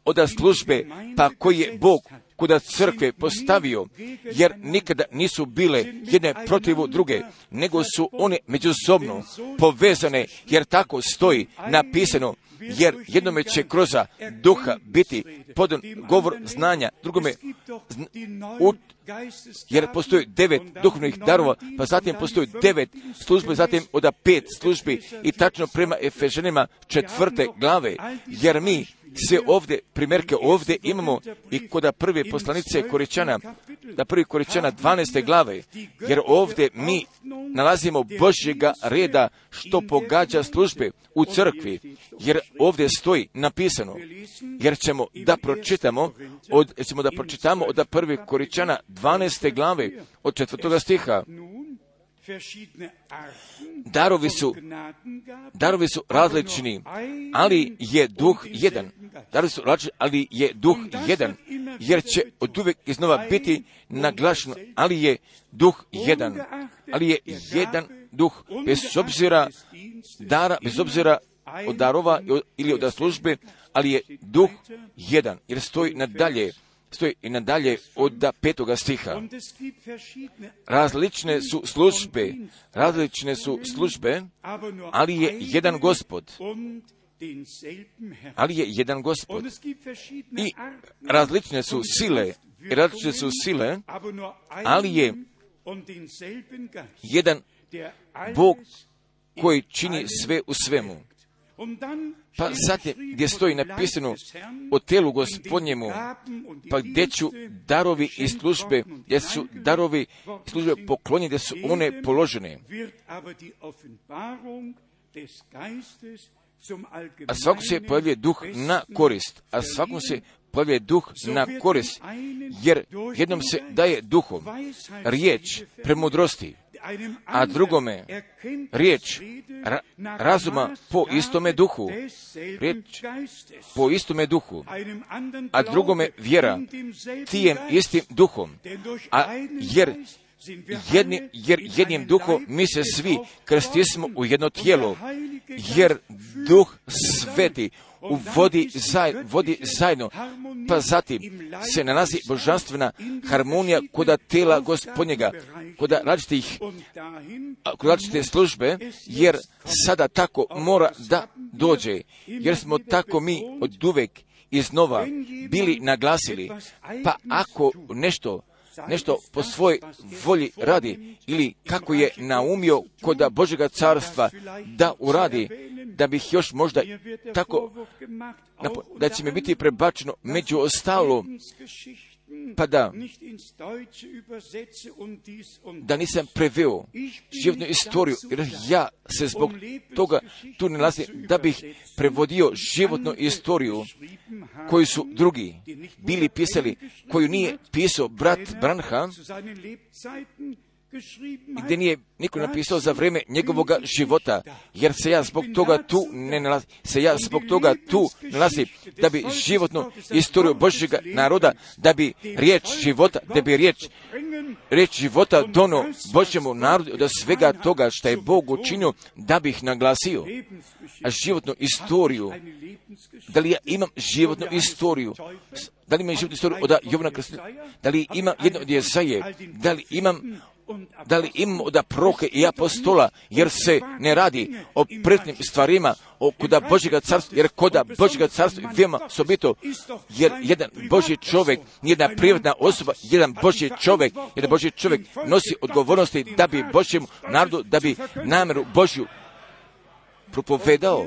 [SPEAKER 1] od službe, pa koji je Bog kuda crkve postavio, jer nikada nisu bile jedne protiv druge, nego su one međusobno povezane, jer tako stoji napisano, jer jednome će kroz duha biti podan govor znanja, drugome jer postoji 9 duhovnih darova, pa zatim postoji 9 službe, zatim od 5 službi i tačno prema Efežanima 4. glave, jer mi se ovdje imamo i kod prve poslanice Koričana, da prvi Koričana 12. glave, jer ovdje mi nalazimo Božjega reda što pogađa službe u crkvi, jer ovdje stoji napisano, jer ćemo da pročitamo od prve Koričana 12. glave od 4. stiha. Darovi su različni, ali je duh jedan. Jer će od uvijek iznova biti naglašeno, ali je duh jedan. Ali je jedan duh, bez obzira od darova ili od službe, ali je duh jedan, jer stoji nadalje od 5. stiha. Različne su službe, ali je jedan Gospod. I različne su sile, ali je jedan Bog koji čini sve u svemu. Pa zatim gdje stoji napisano o telu Gospodnjemu, pa gdje ću darovi i službe, gdje su darovi i službe poklonjene, gdje su one položene. A svakom se pojavljuje duh na korist, jer jednom se daje duhom riječ premudrosti, a drugome riječ razuma po istome duhu, a drugome vjera tijem istim duhom, jer jednim duhom mi se svi krstismo u jedno tijelo, jer duh sveti vodi zajedno, pa zatim se nalazi božanstvena harmonija kod tela Gospodnjega, kod različite službe, jer sada tako mora da dođe, jer smo tako mi od uvek iznova bili naglasili, pa ako nešto nešto po svojoj volji radi, ili kako je naumio kod Božjega carstva da uradi, da bih još možda tako, da će mi biti prebačeno među ostalo, pa da nisam preveo životnu istoriju, jer ja se zbog toga tu nalazim da bih prevodio životnu istoriju koju su drugi bili pisali, koju nije pisao brat Branham, gdje nije niko napisao za vrijeme njegovoga života, jer se ja zbog toga tu ne nalazim, da bi životnu istoriju Božjega naroda, da bi riječ života dono Božjemu narodu od svega toga što je Bog učinio, da bih naglasio. A životnu istoriju, da li ja imam životnu istoriju, da li imam životnu istoriju od Jovana Krstitelja, da li imam jedno od Jezaje, da li imam od proroka i apostola, jer se ne radi o pretnim stvarima, koda Božjega carstva, jer koda Božjega carstva veoma sobito, jer jedan Božji čovjek, jedna privatna osoba, jedan Božji čovjek nosi odgovornosti da bi Božjem narodu, da bi namjeru Božju propovedao,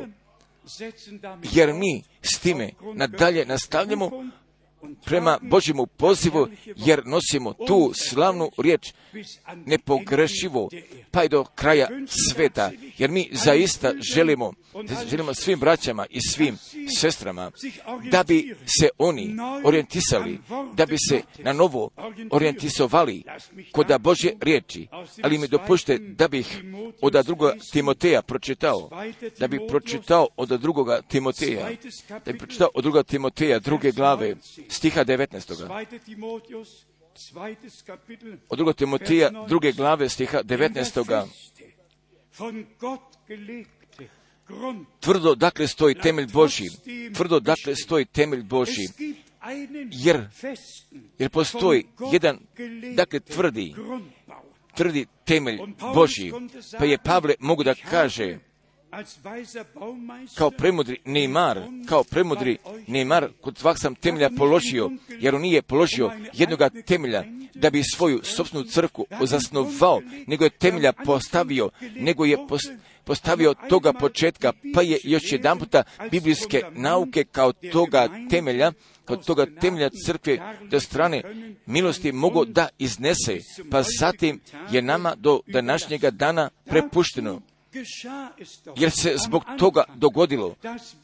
[SPEAKER 1] jer mi s time nadalje nastavljamo prema Božjemu pozivu, jer nosimo tu slavnu riječ nepogrešivo, pa i do kraja sveta, jer mi zaista želimo svim braćama i svim sestrama da bi se oni orijentisali, da bi se na novo orijentisovali kod Božje riječi. Ali mi dopušte da bih od drugoga Timoteja pročitao, od drugoga Timoteja druge glave, stiha 19. Od drugog Timoteja druge glave, stiha 19. Tvrdo dakle stoji temelj Božji, jer postoji jedan, dakle, tvrdi temelj Božji, pa je Pavle mogu da kaže, kao premudri Neymar, kod svak sam temelja položio, jer on nije položio jednoga temelja da bi svoju sopstvenu crkvu zasnovao, nego je temelja postavio toga početka, pa je još jedan puta biblijske nauke kao toga temelja crkve do strane milosti mogu da iznese, pa zatim je nama do današnjega dana prepušteno. Jer se zbog toga dogodilo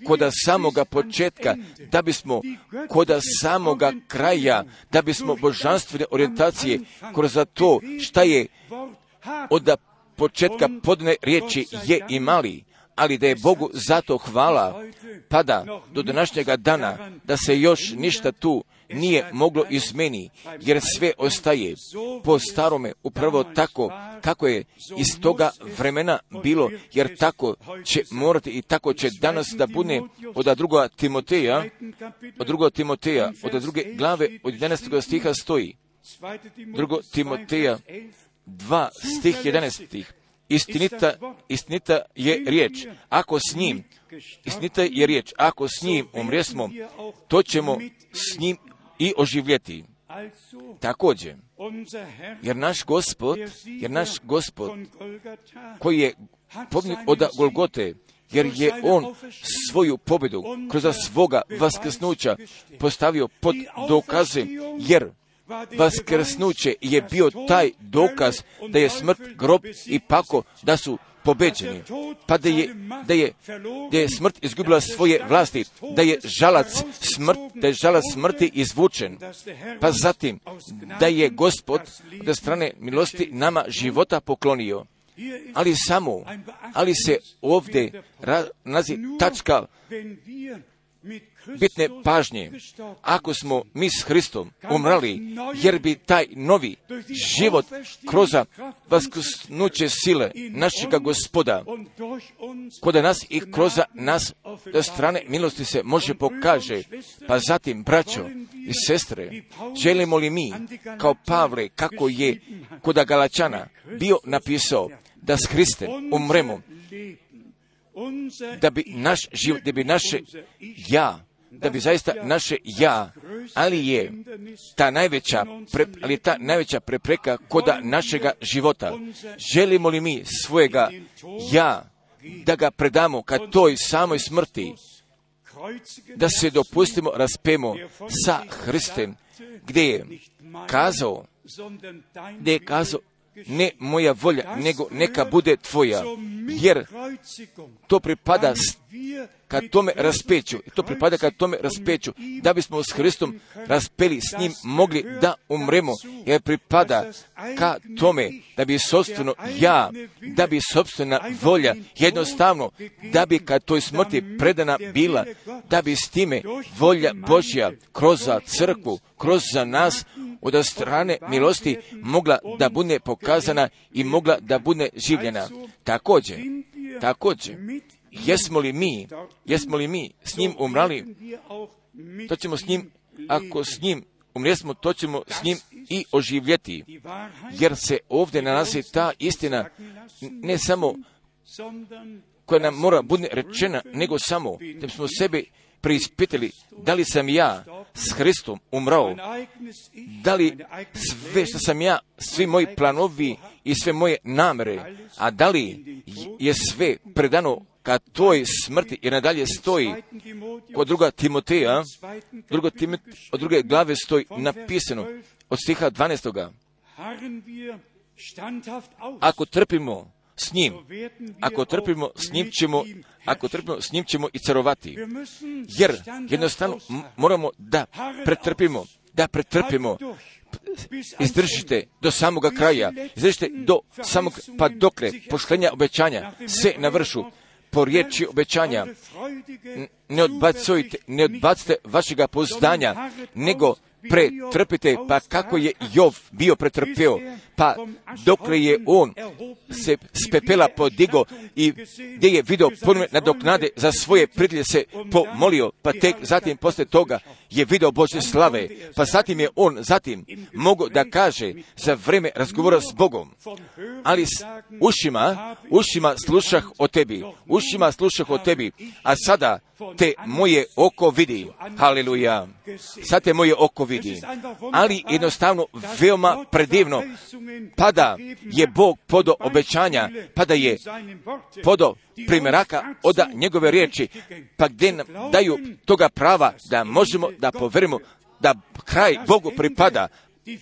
[SPEAKER 1] koda samoga početka, da bismo koda samoga kraja, da bismo božanstvene orijentacije kroz to šta je od početka podne riječi je imali, ali da je Bogu zato hvala, pada do današnjega dana, da se još ništa tu nije moglo izmeni, jer sve ostaje po starome, upravo tako kako je iz toga vremena bilo, jer tako će morati i tako će danas da bude od drugoga Timoteja, od druge glave, od 11. stiha stoji, drugo Timoteja 2 stih 11. Istinita je riječ, ako s njim umresmo, to ćemo s njim i oživjeti. Također, jer naš Gospod koji je pobjednik od Golgote, jer je on svoju pobjedu kroz svoga vaskrsnuća postavio pod dokaze, jer vaskrsnuće je bio taj dokaz da je smrt, grob i pakao da su pobeđeni, pa da je smrt izgubila svoje vlasti, da je žalac smrti izvučen, pa zatim da je Gospod od strane milosti nama života poklonio. Ali se ovdje nalazi tačka bitne pažnje. Ako smo mi s Hristom umrali, jer bi taj novi život kroz vaskrsnuće sile našega Gospoda kod nas i kroz nas do strane milosti se može pokaže. Pa zatim, braćo i sestre, želimo li mi kao Pavle, kako je kod Galačana bio napisao, da s Hristem umremo, da bi naš život, da bi naše ja, da bi zaista naše ja, ali je ta najveća prepreka koda našega života. Želimo li mi svojega ja da ga predamo ka toj samoj smrti, da se dopustimo raspemo sa Hristem, gdje je kazao, ne moja volja, nego neka bude tvoja, jer to pripada ka tome raspeću, da bismo s Hristom raspeli s njim mogli da umremo, jer pripada ka tome da bi sopstveno ja, da bi sopstvena volja, jednostavno, da bi ka toj smrti predana bila, da bi s time volja Božja kroz za crkvu, kroz za nas, od strane milosti mogla da bude pokazana i mogla da bude življena. Također, jesmo li mi s njim umrali, to ćemo s njim, ako s njim umresmo, to ćemo s njim i oživjeti, jer se ovdje nalazi ta istina, ne samo koja nam mora bude rečena, nego samo da smo sebe preispitali, da li sam ja s Hristom umrao, da li sve što sam ja, svi moji planovi i sve moje namere, a da li je sve predano ka toj smrti i nadalje stoji kod druga Timoteja, od druge glave stoji napisano od stiha 12. Ako trpimo s njim ćemo i carovati. Jer jednostavno moramo da pretrpimo. Izdržite do samoga kraja. Izdržite do samog, pa dokle poštenja obećanja se navršu po riječi obećanja. Ne odbacite vašega pouzdanja, nego pretrpite, pa kako je Jov bio pretrpio, pa dokle je on se s pepela podigo i gdje je video ponovne nadoknade za svoje pridlje se pomolio, pa tek zatim poslije toga je video Božje slave, pa zatim je on mogao da kaže za vreme razgovora s Bogom, ali s ušima slušah o tebi, a sada te moje oko vidi. Haleluja. Sad te moje oko vidi. Ali jednostavno veoma predivno, pada je Bog podo obećanja, pada je podo primjeraka od njegove riječi, pa gdje nam daju toga prava da možemo da poverimo da kraj Bogu pripada,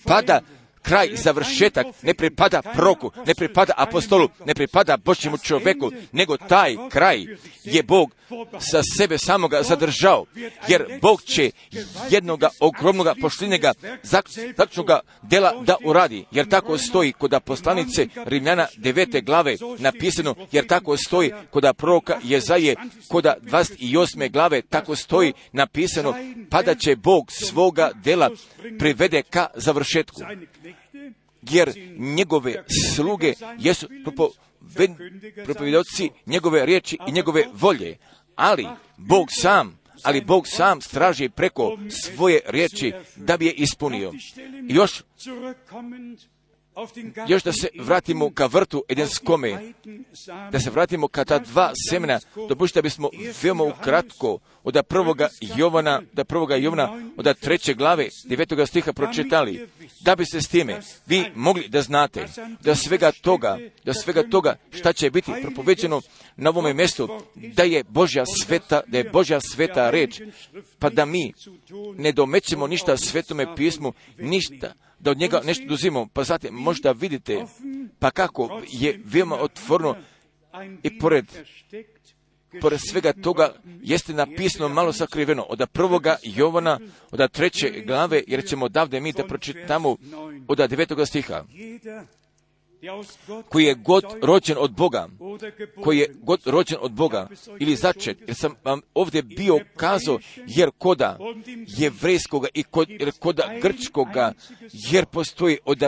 [SPEAKER 1] pada kraj, završetak, ne pripada proroku, ne pripada apostolu, ne pripada Božjemu čovjeku, nego taj kraj je Bog sa sebe samoga zadržao, jer Bog će jednoga ogromnoga poštenjega zaključnoga dela da uradi, jer tako stoji kod poslanice Rimljana 9. glave napisano, jer tako stoji kod proroka Jezaje kod 28. glave, tako stoji napisano, pa da će Bog svoga dela privede ka završetku. Jer njegove sluge jesu propovidoci njegove riječi i njegove volje, ali Bog sam straži preko svoje riječi da bi je ispunio. Još da se vratimo ka vrtu Edenskome, da se vratimo ka ta dva semena, dopustite da bismo veoma ukratko od prvoga Jovana, od 3. glave 9. stiha pročitali, da biste s time vi mogli da znate da svega toga šta će biti propoveđeno na ovome mjestu, da je Božja sveta reč, pa da mi ne domećemo ništa Svetome pismu, ništa da od njega nešto duzimo, pa zatim možda vidite, pa kako je veoma otvoreno i pored svega toga jeste napisano malo sakriveno od 1. Jovana, od 3. glave, jer ćemo odavde mi da pročitamo od 9. stiha. Koji je god rođen od Boga, ili začet, jer sam vam ovdje bio kazao, jer koda jevrejskoga i koda grčkoga, jer postoji od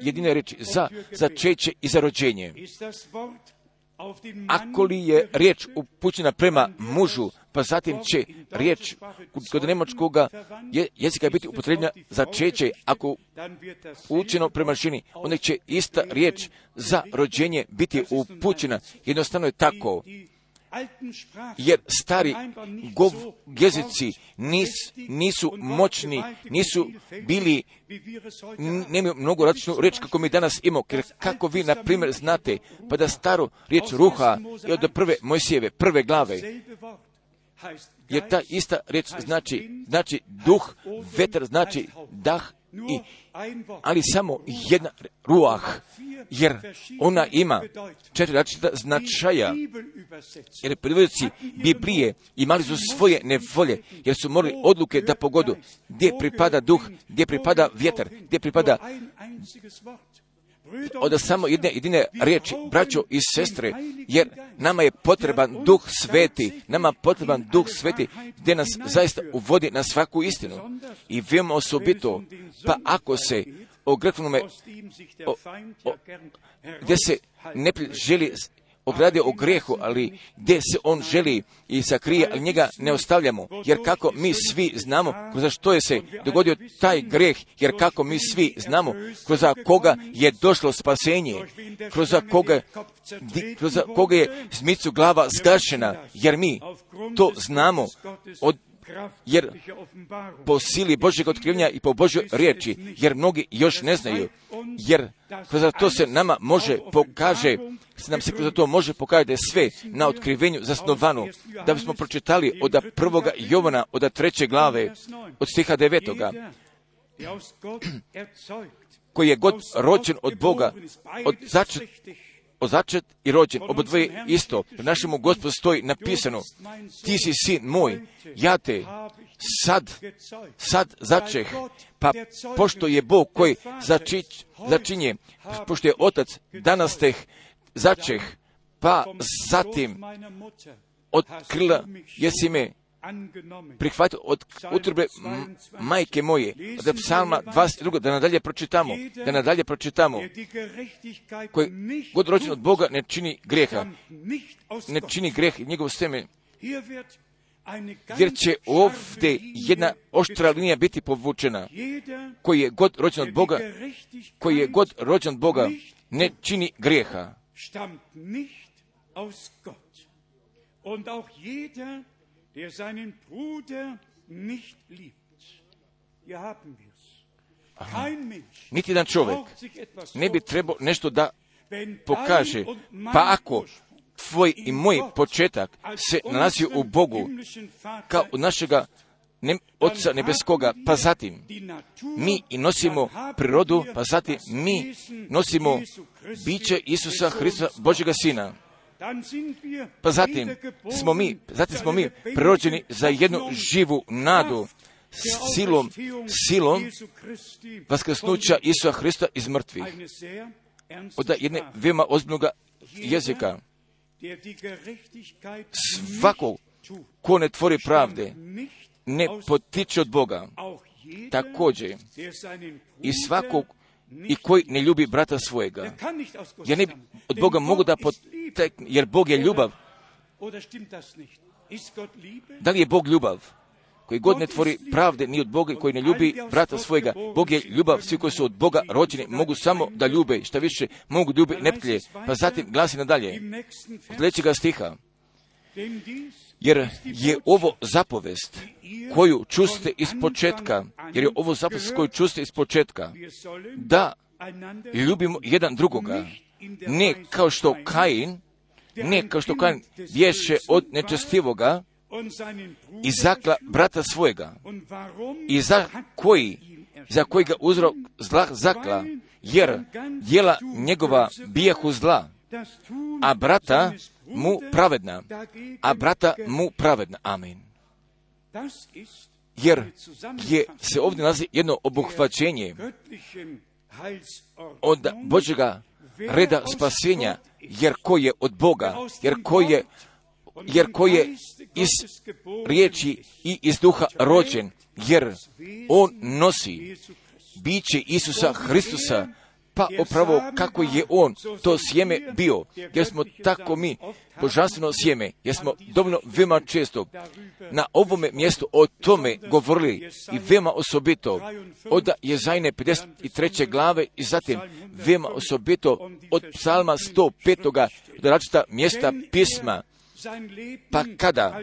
[SPEAKER 1] jedine reči za začeće i za rođenje. Ako li je riječ upućena prema mužu, pa zatim će riječ kod nemačkoga jezika biti upotrebljena začeće, ako upućeno prema ženi, onda će ista riječ za rođenje biti upućena. Jednostavno je tako. jer stari jezici nisu moćni, nisu bili, nemaju mnogo različnu reč kako mi danas imamo, jer kako vi, na primjer, znate, pa da staru riječ ruha je od prve Mojsijeve, prve glave, jer ta ista riječ znači duh, vetar znači dah, ali samo jedna ruah, jer ona ima 4 različita značaja, jer privodioci Biblije imali su svoje nevolje, jer su morali odluke da pogodu gdje pripada duh, gdje pripada vjetar, gdje pripada od samo jedine riječi, braćo i sestre, jer nama je potreban duh sveti, gdje nas zaista uvodi na svaku istinu. I veoma osobito, pa ako se o Grehovanome, gdje se neprijatelj želi ogradi o grijehu, ali gdje se on želi i sakrije, ali njega ne ostavljamo, jer kako mi svi znamo kroz što je se dogodio taj grijeh, jer kako mi svi znamo kroz koga je došlo spasenje, kroz koga je zmicu glava zgašena, jer mi to znamo jer po sili Božjeg otkrivenja i po Božjoj riječi, jer mnogi još ne znaju, jer kroz to se nama može pokaže, kroz to može pokazati da je sve na otkrivenju zasnovano, da bismo pročitali od 1. Jovana, od 3. glave, od stiha 9. koji je god rođen od Boga, začet i rođen, obodvoje isto. U našemu Gospodu stoji napisano, ti si sin moj, ja te sad začeh, pa pošto je Bog koji začinje, pošto je Otac, danas te začeh, pa zatim od krila jesi me prihvatio od utrobe majke moje, od Psalma 22, da nadalje pročitamo, koji god rođen od Boga ne čini grijeha, njegov seme, jer će ovdje jedna oštra linija biti povučena, koji je god rođen od Boga, ne čini grijeha.
[SPEAKER 2] Der seinen Bruder nicht liebt. Hier haben wir's. Kein Mensch.
[SPEAKER 1] Niti jedan čovjek ne bi trebao nešto da pokaže, pa ako tvoj i moj početak se nalazi u Bogu, kao od našega Otca nebeskoga, pa zatim mi i nosimo prirodu, pa zatim mi nosimo biće Isusa Hrista, Božjega Sina. Pa zatim smo mi prirođeni za jednu živu nadu silom vaskrsnuća Isusa Hrista iz mrtvih. Od jedne veoma ozbiljnog jezika. Svako ko ne tvori pravde ne potiče od Boga. Također i svakog i koji ne ljubi brata svojega. Ja ne od Boga mogu da poteknem, jer Bog je ljubav. Da li je Bog ljubav? Koji god ne tvori pravde ni od Boga i koji ne ljubi brata svojega. Bog je ljubav, svi koji su od Boga rođeni mogu samo da ljube, šta više mogu ljubi neprijatelje. Pa zatim glasi nadalje, od sljedećega stiha. Jer je ovo zapovest koju čuste iz početka, da ljubimo jedan drugoga, ne kao što Kain bješe od nečestivoga i zakla brata svojega, i za kojega uzrok zla zakla, jer djela njegova bijahu zla, a brata mu pravedna. Amen. Jer se ovdje nalazi jedno obuhvaćenje od Božjega reda spasenja, jer ko je od Boga, jer ko je iz riječi i iz duha rođen, jer on nosi biće Isusa Hristusa, pa upravo kako je on to sjeme bio, jer smo tako mi božanstveno sjeme, jer smo dovoljno veoma često na ovome mjestu o tome govorili i veoma osobito od Jezajne 53. glave i zatim veoma osobito od Psalma 105. do različita mjesta pisma, pa kada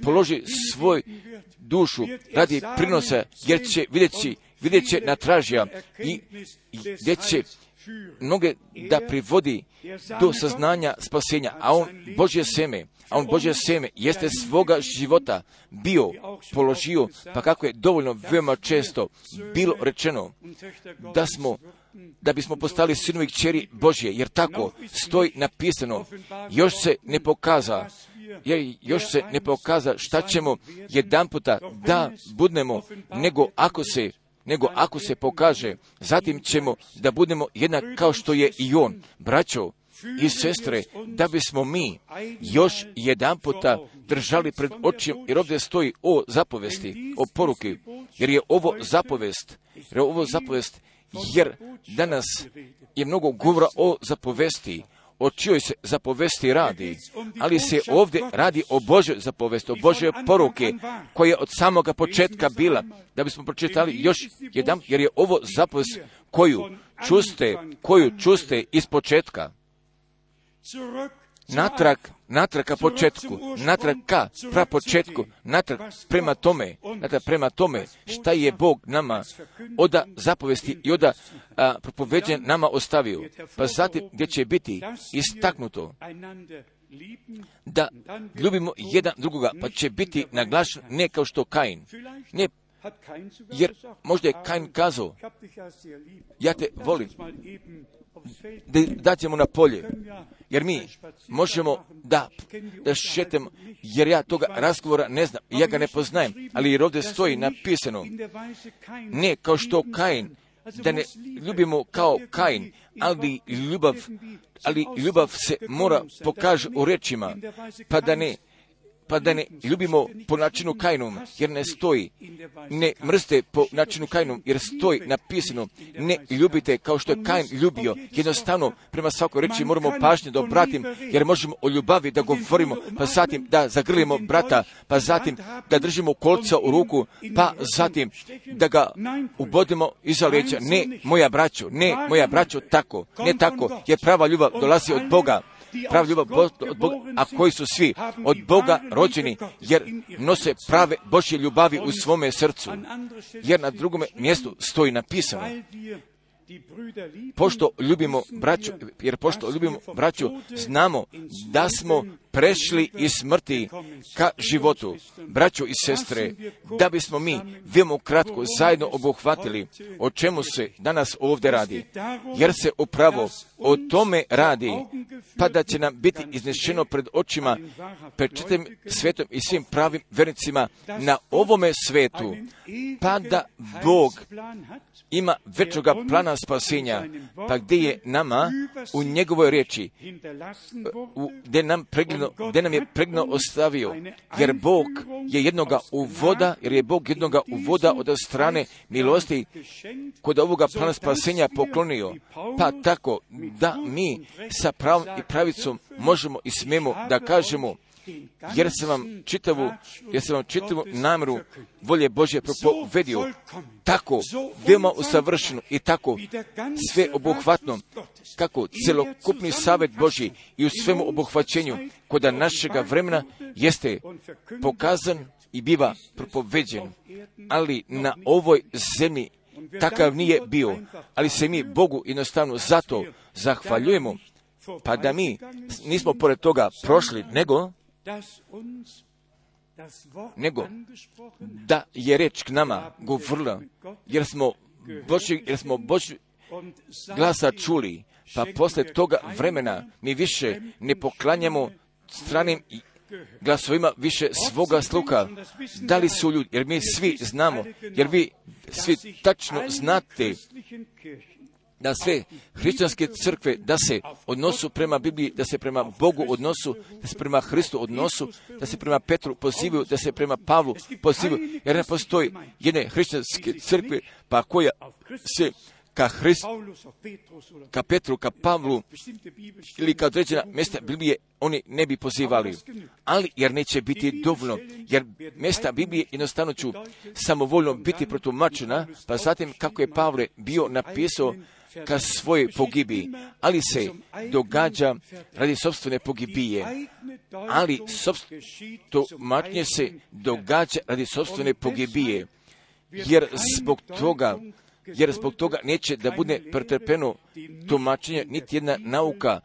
[SPEAKER 1] položi svoj dušu radi prinosa, jer će vidjet će na tražija i gdje će mnoge da privodi do saznanja spasenja, a on Božje seme jeste svoga života bio položio, pa kako je dovoljno veoma često bilo rečeno da bismo postali sinovi i kćeri Božje, jer tako stoji napisano. Još se ne pokaza šta ćemo jedanputa da budemo, nego ako se pokaže, zatim ćemo da budemo jednak kao što je i on. Braćo i sestre, da bismo mi još jedanputa držali pred očima, jer ovdje stoji o zapovesti, o poruki, jer je ovo zapovest, jer danas je mnogo govora o zapovesti, o čijoj se zapovesti radi, ali se ovdje radi o Božoj zapovesti, o Božoj poruke, koja je od samoga početka bila, da bismo pročitali još jedan, jer je ovo zapovest koju čuste iz početka. Natrag ka početku, natrag ka prapočetku, natrag prema tome šta je Bog nama oda zapovesti i oda propoveđen nama ostavio. Pa zatim gdje će biti istaknuto da ljubimo jedan drugoga, pa će biti naglašen ne kao što Kain. Ne, jer možda je Kain kazao, ja te volim, da ćemo na polje, jer mi možemo da šetemo, jer ja toga razgovora ne znam, ja ga ne poznajem, ali jer ovdje stoji napisano, ne kao što Kain, da ne ljubimo kao Kain, ali ljubav se mora pokaže u rečima, pa da ne ljubimo po načinu Kainom, jer ne stoji, ne mrzite po načinu Kainom, jer stoji napisano, ne ljubite kao što je Kain ljubio. Jednostavno, prema svakoj reči moramo pažnje da obratim, jer možemo o ljubavi da govorimo, pa zatim da zagrlimo brata, pa zatim da držimo kolca u ruku, pa zatim da ga ubodimo iza leđa. Ne, moja braćo, tako, ne tako, jer prava ljubav dolazi od Boga. Prava ljubav od Boga, a koji su svi od Boga rođeni, jer nose prave Božje ljubavi u svome srcu. Jer na drugome mjestu stoji napisano, pošto ljubimo braću, znamo da smo prešli iz smrti ka životu. Braćo i sestre, da bismo mi veoma kratko zajedno obuhvatili o čemu se danas ovdje radi, jer se upravo o tome radi, pa da će nam biti iznešeno pred očima, pred čitavim svetom i svim pravim vernicima na ovome svetu, pa da Bog ima većoga plana spasenja, pa gdje je nama u njegovoj riječi, gdje nam je pregledno ostavio, jer Bog je jednoga uvoda od strane milosti kod ovoga plana spasenja poklonio, pa tako da mi sa pravom i pravicom možemo i smijemo da kažemo, jer sam vam čitavu namjeru volje Božje propovedio, tako veoma usavršeno i tako sve obuhvatno, kako celokupni savjet Božji i u svemu obuhvaćenju koda našega vremena jeste pokazan i biva propoveđen, ali na ovoj zemlji takav nije bio, ali se mi Bogu jednostavno zato zahvaljujemo, pa da mi nismo pored toga prošli, nego da je reč k nama govorila, jer smo Božji glasa čuli, pa posle toga vremena mi više ne poklanjamo stranim glasovima više svoga sluha. Da li su ljudi, jer mi svi znamo, jer vi svi tačno znate da sve hrišćanske crkve, da se odnosu prema Bibliji, da se prema Bogu odnosu, da se prema Hristu odnosu, da se prema Petru pozivaju, da se prema Pavlu pozivaju, jer ne postoji jedne hrišćanske crkve, pa koja se ka Petru, ka Pavlu ili ka određena mjesta Biblije oni ne bi pozivali. Ali jer neće biti dovoljno, jer mjesta Biblije jednostavno ću samovoljno biti protumačena, pa zatim kako je Pavle bio napisao ka svojoj pogibiji, ali se događa radi sopstvene pogibije, ali tumačenje se događa radi sopstvene pogibije, jer zbog toga neće da bude pretrpeno tumačenje niti jedna nauka,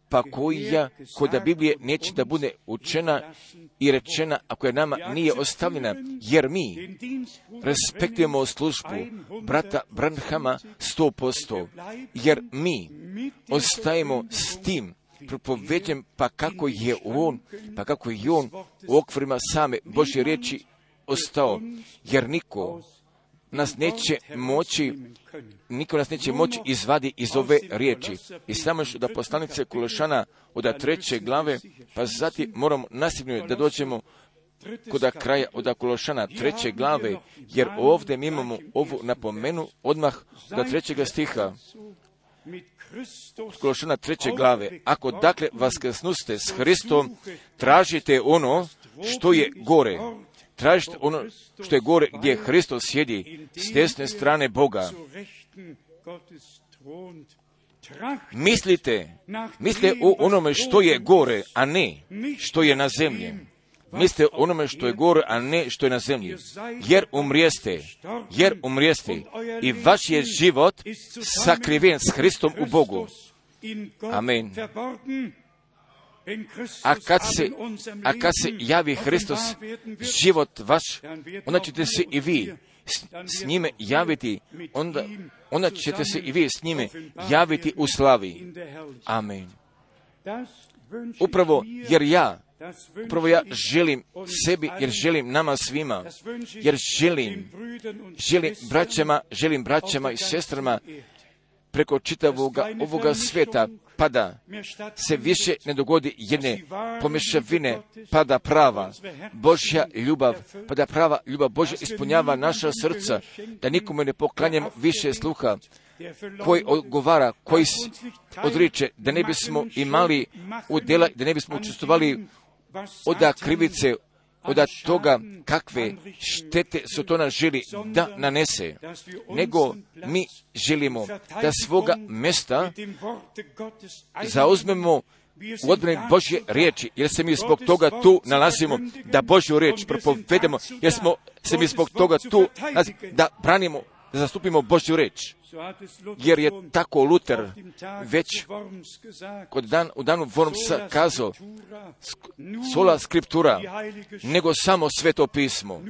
[SPEAKER 1] pa koja Biblije neće da bude učena i rečena, ako je nama nije ostavljena, jer mi respektujemo službu brata Branhama 100%, jer mi ostajemo s tim propoveđem, pa kako je on u okvirima same Božje riječi ostao, jer niko nas neće moći izvadi iz ove riječi. I samo još da poslanice Kološana od 3. glave, pa zatim moramo nasilno da dođemo kod kraja od Kološana 3. glave, jer ovdje mi imamo ovu napomenu odmah od 3. stiha. Kološana 3. glave. Ako dakle vaskrsnuste s Hristom, tražite ono što je gore. Tražite ono što je gore, gdje Hristos sjedi s desne strane Boga. Mislite o onome što je gore, a ne što je na zemlji. Mislite o onome što je gore, a ne što je na zemlji. Jer umrijeste i vaš je život sakriven s Hristom u Bogu. Amen. A kad se javi Hristos, život vaš, onda ćete se i vi s njime javiti, onda ćete se i vi s njime javiti u slavi. Amen. Upravo ja želim sebi, jer želim nama svima, jer želim braćama i sestrama preko čitavoga ovoga sveta, pa da se više ne dogodi jedne pomješavine, pa da prava Božja ljubav, pa da prava ljubav Božja ispunjava naša srca, da nikome ne poklanjamo više sluha, koji odgovara, koji odriče, da ne bismo imali udjela, da ne bismo učestvovali od krivice, od toga kakve štete su to nas želi da nanese, nego mi želimo da svoga mjesta zauzmemo u odbrani Božje riječi, jer se mi zbog toga tu nalazimo, da Božju riječ propovedemo, jer smo se mi zbog toga tu nalazimo, da branimo, da zastupimo Božju riječ. Jer je tako Luter već u danu Wormsa kazao, sola scriptura, nego samo sveto pismo,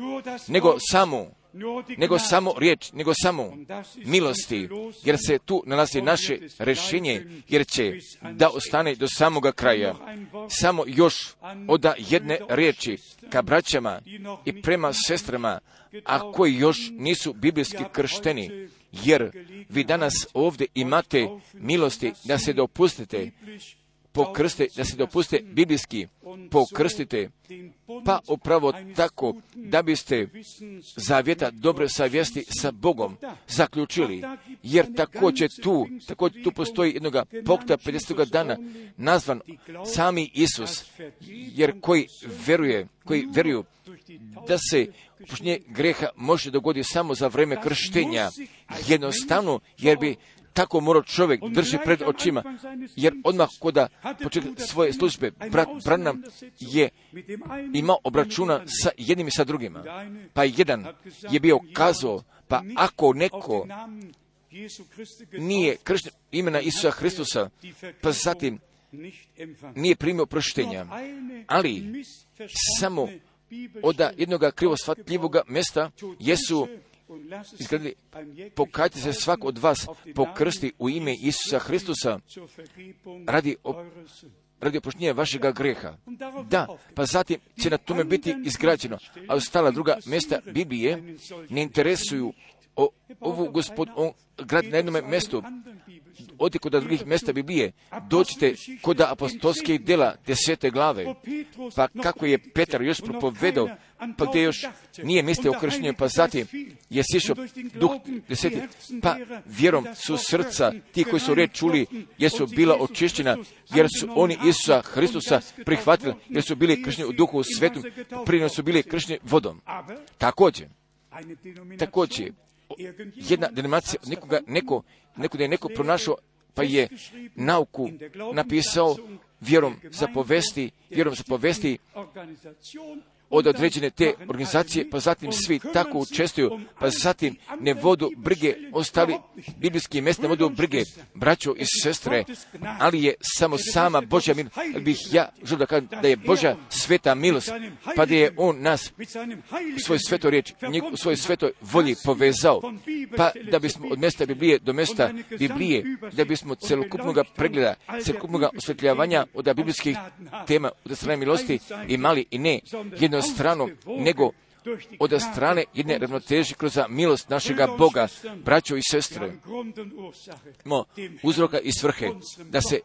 [SPEAKER 1] nego samo riječ, nego samo milosti, jer se tu nalazi naše rješenje, jer će da ostane do samoga kraja. Samo još od jedne riječi ka braćama i prema sestrama, a koji još nisu biblijski kršteni, jer vi danas ovdje imate milosti da se dopustite pokrstite, da se dopuste biblijski pokrstite, pa upravo tako da biste zavjeta dobre savjesti sa Bogom zaključili, jer također tu postoji jednoga pokta 50. dana nazvan sami Isus, jer koji vjeruju da se oproštenje greha može dogoditi samo za vrijeme krštenja, jednostavno, jer bi tako morao čovjek drži pred očima, jer odmah koda početka svoje službe, brat Branham je imao obračuna sa jednim i sa drugima. Pa jedan je bio kazao, pa ako neko nije kršten imena Isusa Hristusa, pa zatim nije primio oproštenja, ali samo od jednog krivo shvatljivog mjesta jesu izgledali, pokajte se svak od vas pokrsti u ime Isusa Hristusa radi oproštenja vašega greha. Da, pa zatim će na tome biti izgrađeno, a ostala druga mjesta Biblije ne interesuju ovu grad na jednom mjestu. Odi kod drugih mjesta Biblije, dođite kod apostolskih djela 10. glave, pa kako je Petar još propovedao, pa gdje još nije mislio o krštenju, pa zatim je sišao duh 10. Pa vjerom su srca ti koji su riječ čuli, jesu bila očišćena, jer su oni Isusa Hristusa prihvatili, jer su bili kršteni u duhu svetom, prije su bili kršteni vodom. Također, jedna denominacija, neko da je neko pronašao pa je nauku napisao vjerom za povesti od određene te organizacije, pa zatim svi tako učestvuju, pa zatim ne vodu brige, ostali biblijski mjesta ne vodu brige, braćo i sestre, ali je samo sama Božja milost, ali bih ja želio da kažem da je Božja sveta milost, pa da je On nas u svoj svetoj riječ, u svojoj svetoj volji povezao, pa da bismo od mjesta Biblije do mjesta Biblije, da bismo celokupnog pregleda, celokupnog osvjetljavanja od biblijskih tema, od strane milosti imali i ne jednu stranu, nego od strane jedne ravnoteže kroz milost našega Boga, braćo i sestre. Imamo uzroka i svrhe da se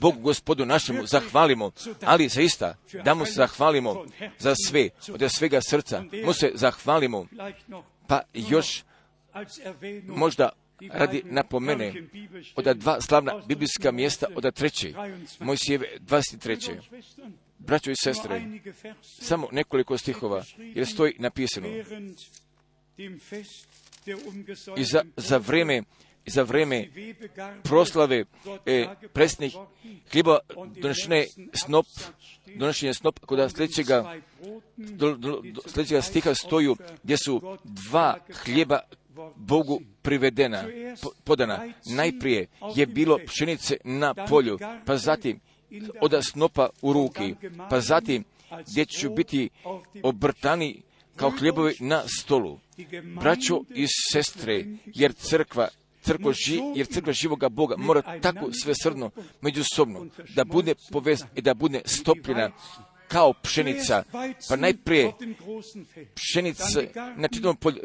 [SPEAKER 1] Bogu Gospodu našemu zahvalimo, ali zaista da mu se zahvalimo za sve, od svega srca, mu se zahvalimo, pa još možda radi napomene od dva slavna biblijska mjesta, od treće, Mojsijeve 23. Braćo i sestre, samo nekoliko stihova, jer stoji napisano. I za vreme proslave presnih hljeba donošenje snop, kod sljedećega stiha stoju gdje su dva hljeba Bogu privedena, podana. Najprije je bilo pšenice na polju, pa zatim od snopa u ruki, pa zatim gdje će biti obrtani kao hljebovi na stolu. Braćo i sestre, jer crkva živoga Boga mora tako svesrdno međusobno da bude povezana i da bude stopljena kao pšenica, pa najprije pšenica na čitavom polju,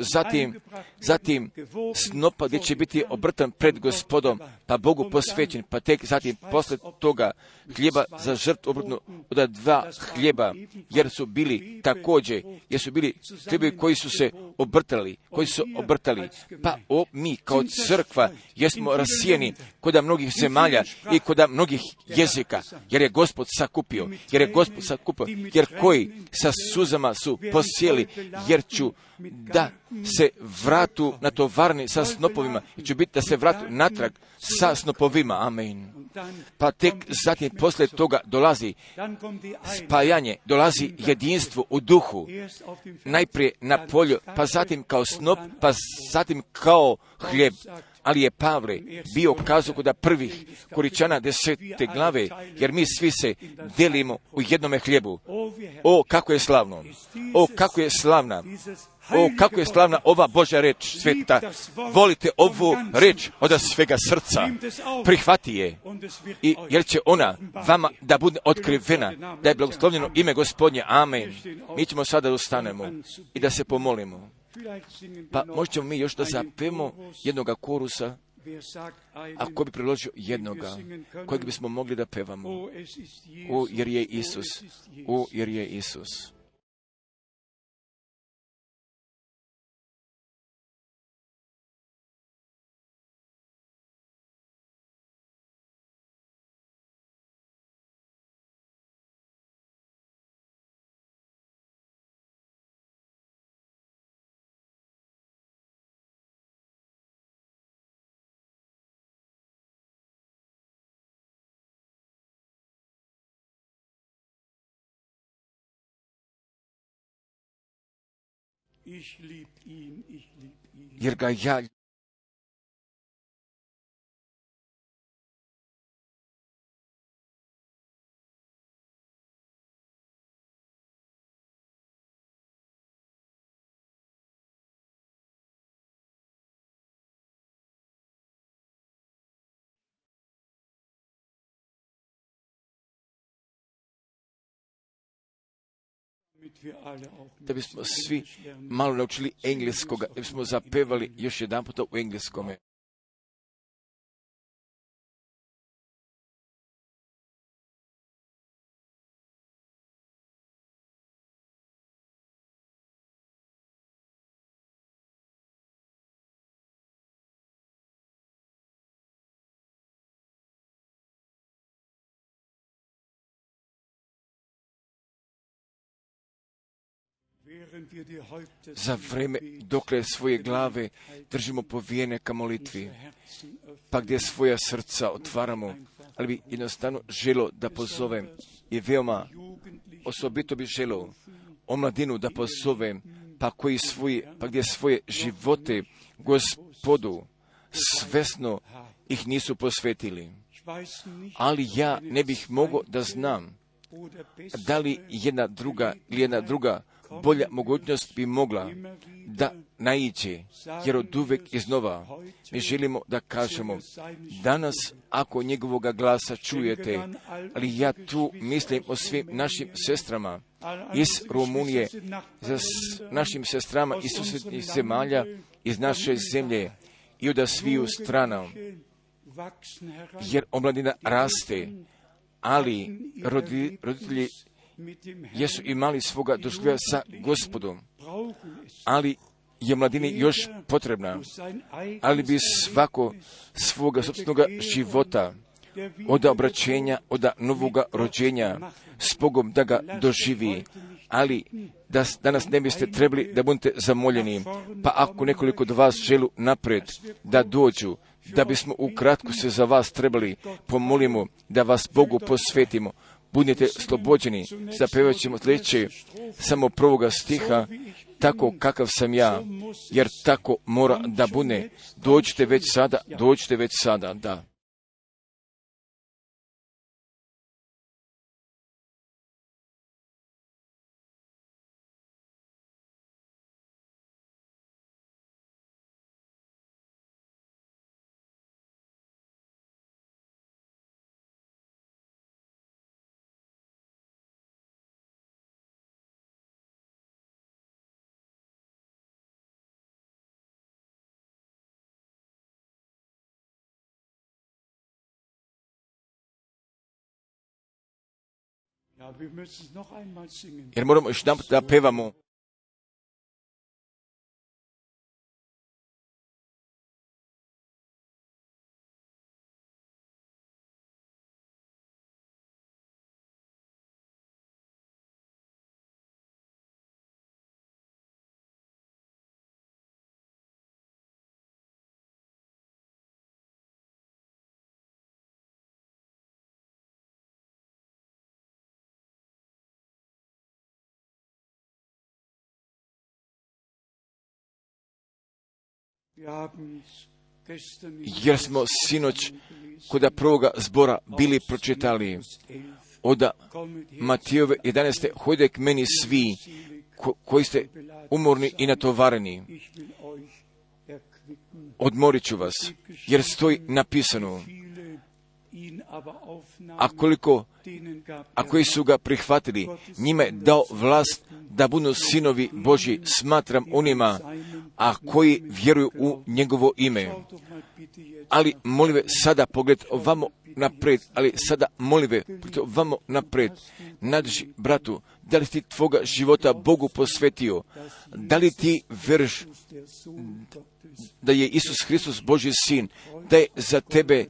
[SPEAKER 1] zatim snopa gdje će biti obrtan pred Gospodom, pa Bogu posvećen, pa tek zatim posle toga hljeba za žrtvu obrtnu od dva hljeba, jer su bili hljebovi koji su obrtali, pa mi kao crkva jesmo rasijeni kod mnogih zemalja i kod mnogih jezika, jer je Gospod sakupio, jer koji sa suzama su posijeli, jer ću da se vratu natovarni sa snopovima, jer ću biti da se vratu natrag sa snopovima. Amen. Pa tek zatim posle toga dolazi spajanje, dolazi jedinstvo u duhu, najprije na polju, pa zatim kao snop, pa zatim kao hljeb. Ali je Pavle bio kazao kod prvih Koričana 10. glave, jer mi svi se delimo u jednome hljebu. O, kako je slavno! O, kako je slavna! O, kako je slavna ova Božja reč sveta! Volite ovu reč od svega srca. Prihvati je. I jer će ona vama da bude otkrivena, da je blagoslovljeno ime Gospodnje. Amen. Mi ćemo sada da ustanemo i da se pomolimo. Pa možemo mi još da zapevamo jednoga korusa, ako bi priložio jednoga, kojeg bismo mogli da pevamo. O, jer je Isus. O, jer je Isus. Jer ga ja da bismo svi malo naučili engleskoga, da bismo zapevali još jedan puta u engleskome. za vreme dokle svoje glave držimo povijene ka molitvi, pa gdje svoja srca otvaramo, ali bi jednostavno želo da pozovem i veoma osobito bi želo omladinu da pozovem, pa gdje svoje živote Gospodu svesno ih nisu posvetili. Ali ja ne bih mogao da znam da li jedna druga bolja mogućnost bi mogla da naiđe, jer od uvek iznova mi želimo da kažemo danas ako njegovoga glasa čujete, ali ja tu mislim o svim našim sestrama iz Rumunije, za našim sestrama iz susjednih zemalja, iz naše zemlje i od sviju strana, jer omladina raste, ali roditelji jesu imali svoga doživljaja sa Gospodom, ali je mladini još potrebna, ali bi svako svoga sopstvenog života od obraćenja, od novoga rođenja s Bogom da ga doživi, ali da danas ne biste trebali da budete zamoljeni, pa ako nekoliko od vas želu napred da dođu, da bismo ukratko se za vas trebali pomolimo, da vas Bogu posvetimo. Budite slobođeni, zapevat ćemo sljedeće samo prvoga stiha, tako kakav sam ja, jer tako mora da bude. Dođite već sada, da. Jer moramo još da pevamo. Jer smo sinoć kod prvoga zbora bili pročitali od Matijove 11. Hojde k meni svi koji ste umorni i natovareni, odmorit ću vas, jer stoji napisano, a koji su ga prihvatili, njima je dao vlast da budu sinovi Božji, smatram onima, a koji vjeruju u njegovo ime. Ali molive sada pogled ovamo napred, nadrži bratu, da li ti tvoga života Bogu posvetio, da li ti veriš da je Isus Hristos Božji sin, da je za tebe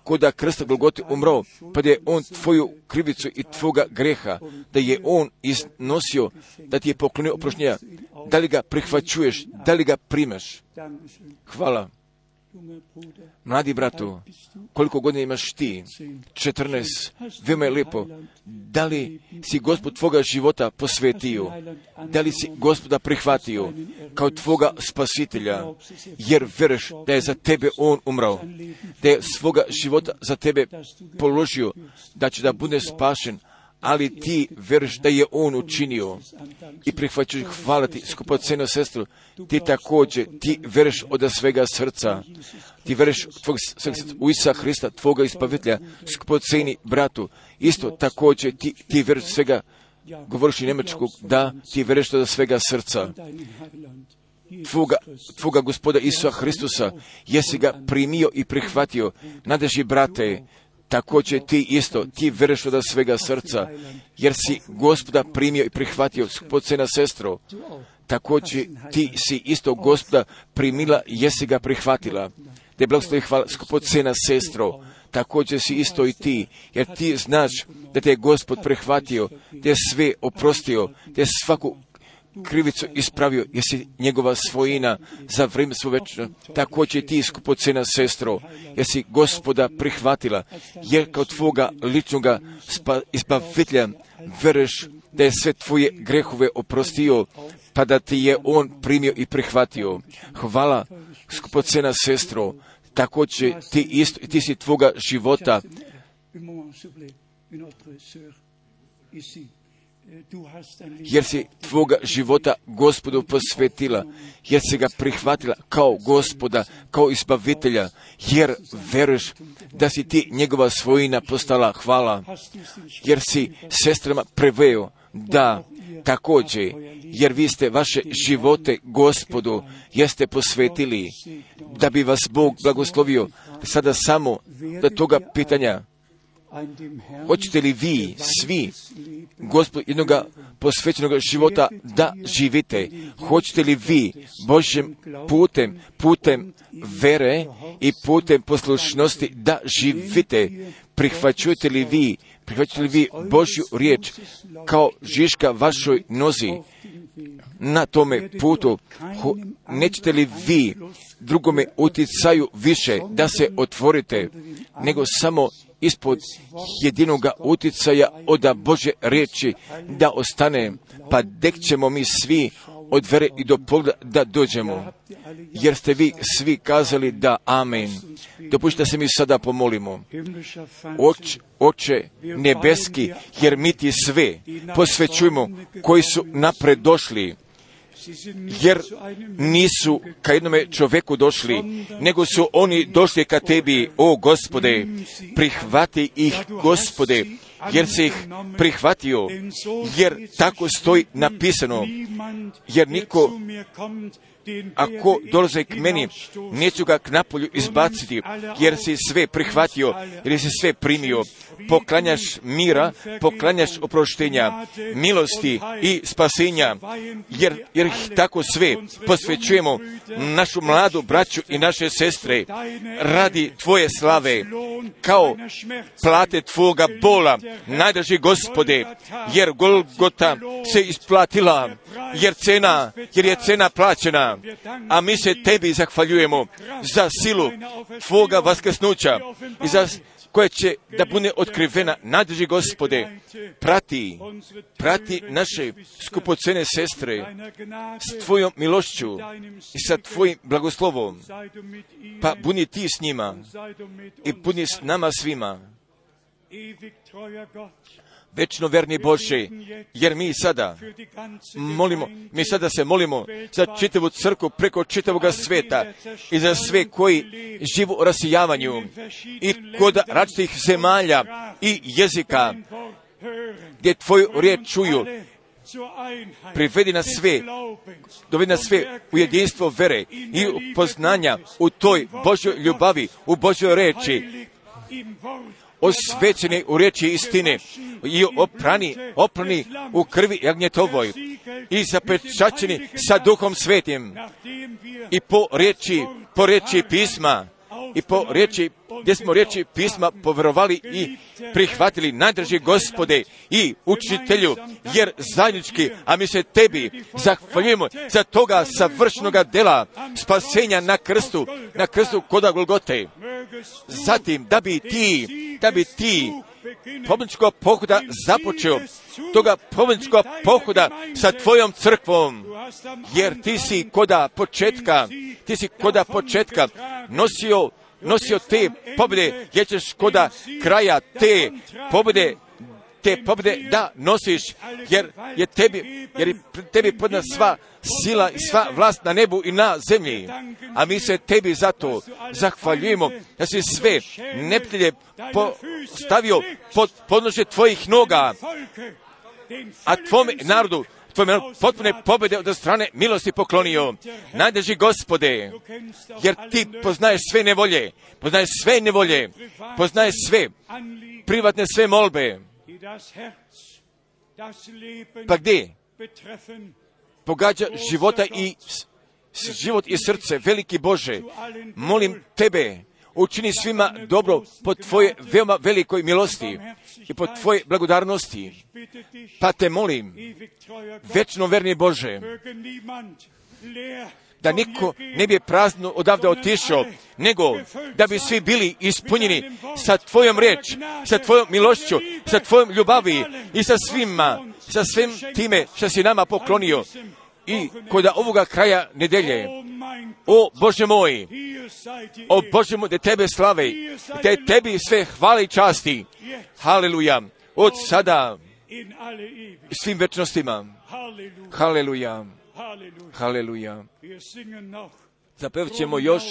[SPEAKER 1] koda krsta Golgote umro, pa da je on tvoju krivicu i tvoga greha, da je on iznosio, da ti je poklonio oproštenja, da li ga prihvaćuješ, da li ga primaš? Hvala. Mladi bratu, koliko godina imaš ti? 14. Veoma je lijepo. Da li si Gospod tvoga života posvetio? Da li si Gospoda prihvatio kao tvoga spasitelja? Jer veriš da je za tebe on umrao, da je svoga života za tebe položio, da će da bude spašen, ali ti veriš da je on učinio i prihvaćaš. Hvala ti, skupoceno sestru, ti također, ti veriš od svega srca, ti veriš u Isusa Hrista, tvoga ispavitelja, skupoceni bratu, isto također ti veriš svega, govoriš i njemačkog, da, ti veriš od svega srca. Tvoga Gospoda Isusa Hristusa, jesi ga primio i prihvatio, nadeži brate, također ti isto, ti veriš od svega srca, jer si Gospoda primio i prihvatio, skupocena sestro, također ti si isto Gospoda primila, jesi ga prihvatila. Te blagoslovi hvala, skupocena sestro, također si isto i ti, jer ti znaš da te je Gospod prihvatio, te je sve oprostio, te je svaku krivicu ispravio, jesi njegova svojina za vrijeme svoje večno. Također ti, skupocena sestro, jesi Gospoda prihvatila, jer kao tvoga ličnoga izbavitelja veruješ da je sve tvoje grehove oprostio, pa da ti je on primio i prihvatio. Hvala, skupocena sestro, također ti si tvoga života jer si tvoga života Gospodu posvetila, jer si ga prihvatila kao Gospoda, kao izbavitelja, jer veruješ da si ti njegova svojina postala. Hvala, jer si sestrama preveo da također, jer vi ste vaše živote Gospodu, jeste posvetili, da bi vas Bog blagoslovio. Sada samo do toga pitanja, hoćete li vi svi Gospodu jednoga posvećenog života da živite? Hoćete li vi Božjem putem vere i putem poslušnosti da živite? Prihvaćujete li vi Božju riječ kao žiška vašoj nozi na tome putu? Nećete li vi drugome utjecaju više da se otvorite, nego samo ispod jedinoga utjecaja od Božje riječi da ostane, pa dek ćemo mi svi od vere i do pogleda da dođemo, jer ste vi svi kazali da amen. Dopustite da se mi sada pomolimo. Oče nebeski, jer mi ti sve posvećujemo koji su napred došli, jer nisu ka jednome čovjeku došli, nego su oni došli ka tebi, o Gospode. Prihvati ih, Gospode, jer si ih prihvatio, jer tako stoji napisano, jer niko, ako dolaze k meni, neću ga k napolju izbaciti, jer si sve prihvatio, jer si sve primio. Poklanjaš mira, poklanjaš oproštenja, milosti i spasenja, jer tako sve posvećujemo našu mladu braću i naše sestre radi tvoje slave, kao plate tvoga bola, najdraži Gospode, jer Golgota se isplatila, jer je cena plaćena, a mi se tebi zahvaljujemo za silu tvoga vaskrsnuća i za koje će da bude otkrivena. Najdraži Gospode, prati naše skupocene sestre s tvojom milošću i sa tvojim blagoslovom, pa budi ti s njima i budi s nama svima. Večno verni Bože, jer mi sada se molimo za čitavu crkvu preko čitavoga sveta i za sve koji živu u rasijavanju i kod različitih zemalja i jezika, gdje tvoju riječ čuju. Privedi nas sve, dovedi nas sve u jedinstvo vere i poznanja u toj Božjoj ljubavi, u Božjoj reči, osvećeni u riječi istine i oprani u krvi jagnjetovoj i zapečaćeni sa Duhom Svetim i po riječi pisma i po riječi, gdje smo riječi pisma povjerovali i prihvatili. Najdraži Gospode i učitelju, jer zajednički, a mi se tebi zahvaljujemo za toga savršenoga dela spasenja na krstu koda Golgote. Zatim, da bi ti pobjedničkog pohoda započeo, toga pobjedničkog pohoda sa tvojom crkvom, jer ti si koda početka nosio te pobjede, jer ćeš koda kraja te pobjede da nosiš, jer je tebi podna sva sila i sva vlast na nebu i na zemlji. A mi se tebi zato zahvaljujemo da si sve neprijatelje postavio pod podnožje tvojih noga, a tvome narodu potpune pobjede od strane milosti poklonio. Najdraži Gospode, jer ti poznaješ sve nevolje, poznaješ sve privatne sve molbe. Pa gdje pogađa život i srce, veliki Bože, molim tebe učini svima dobro po Tvoje veoma velikoj milosti i po Tvoje blagodarnosti. Pa te molim, večno verni Bože, da niko ne bi prazno odavde otišao, nego da bi svi bili ispunjeni sa Tvojom riječ, sa Tvojom milošću, sa Tvojom ljubavi i sa svim time što si nama poklonio. I kod ovoga kraja nedelje, o Bože moj, da Tebe slave, da Tebi sve hvale i časti. Haleluja, od sada svim večnostima. Haleluja, haleluja. Zapevat ćemo još,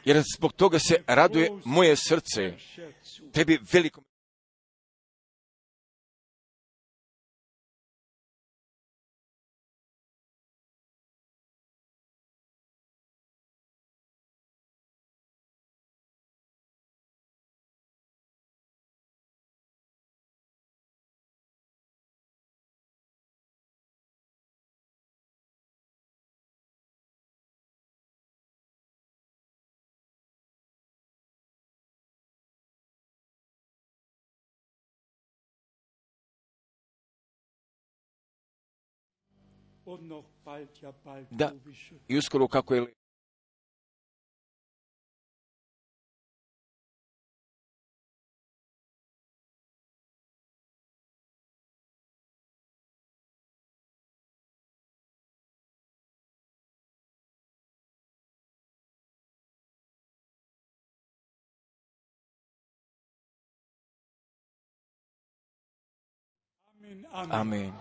[SPEAKER 1] jer zbog toga se raduje moje srce. Tebi veliko. Da, i uskoro kako je Amen. Amen.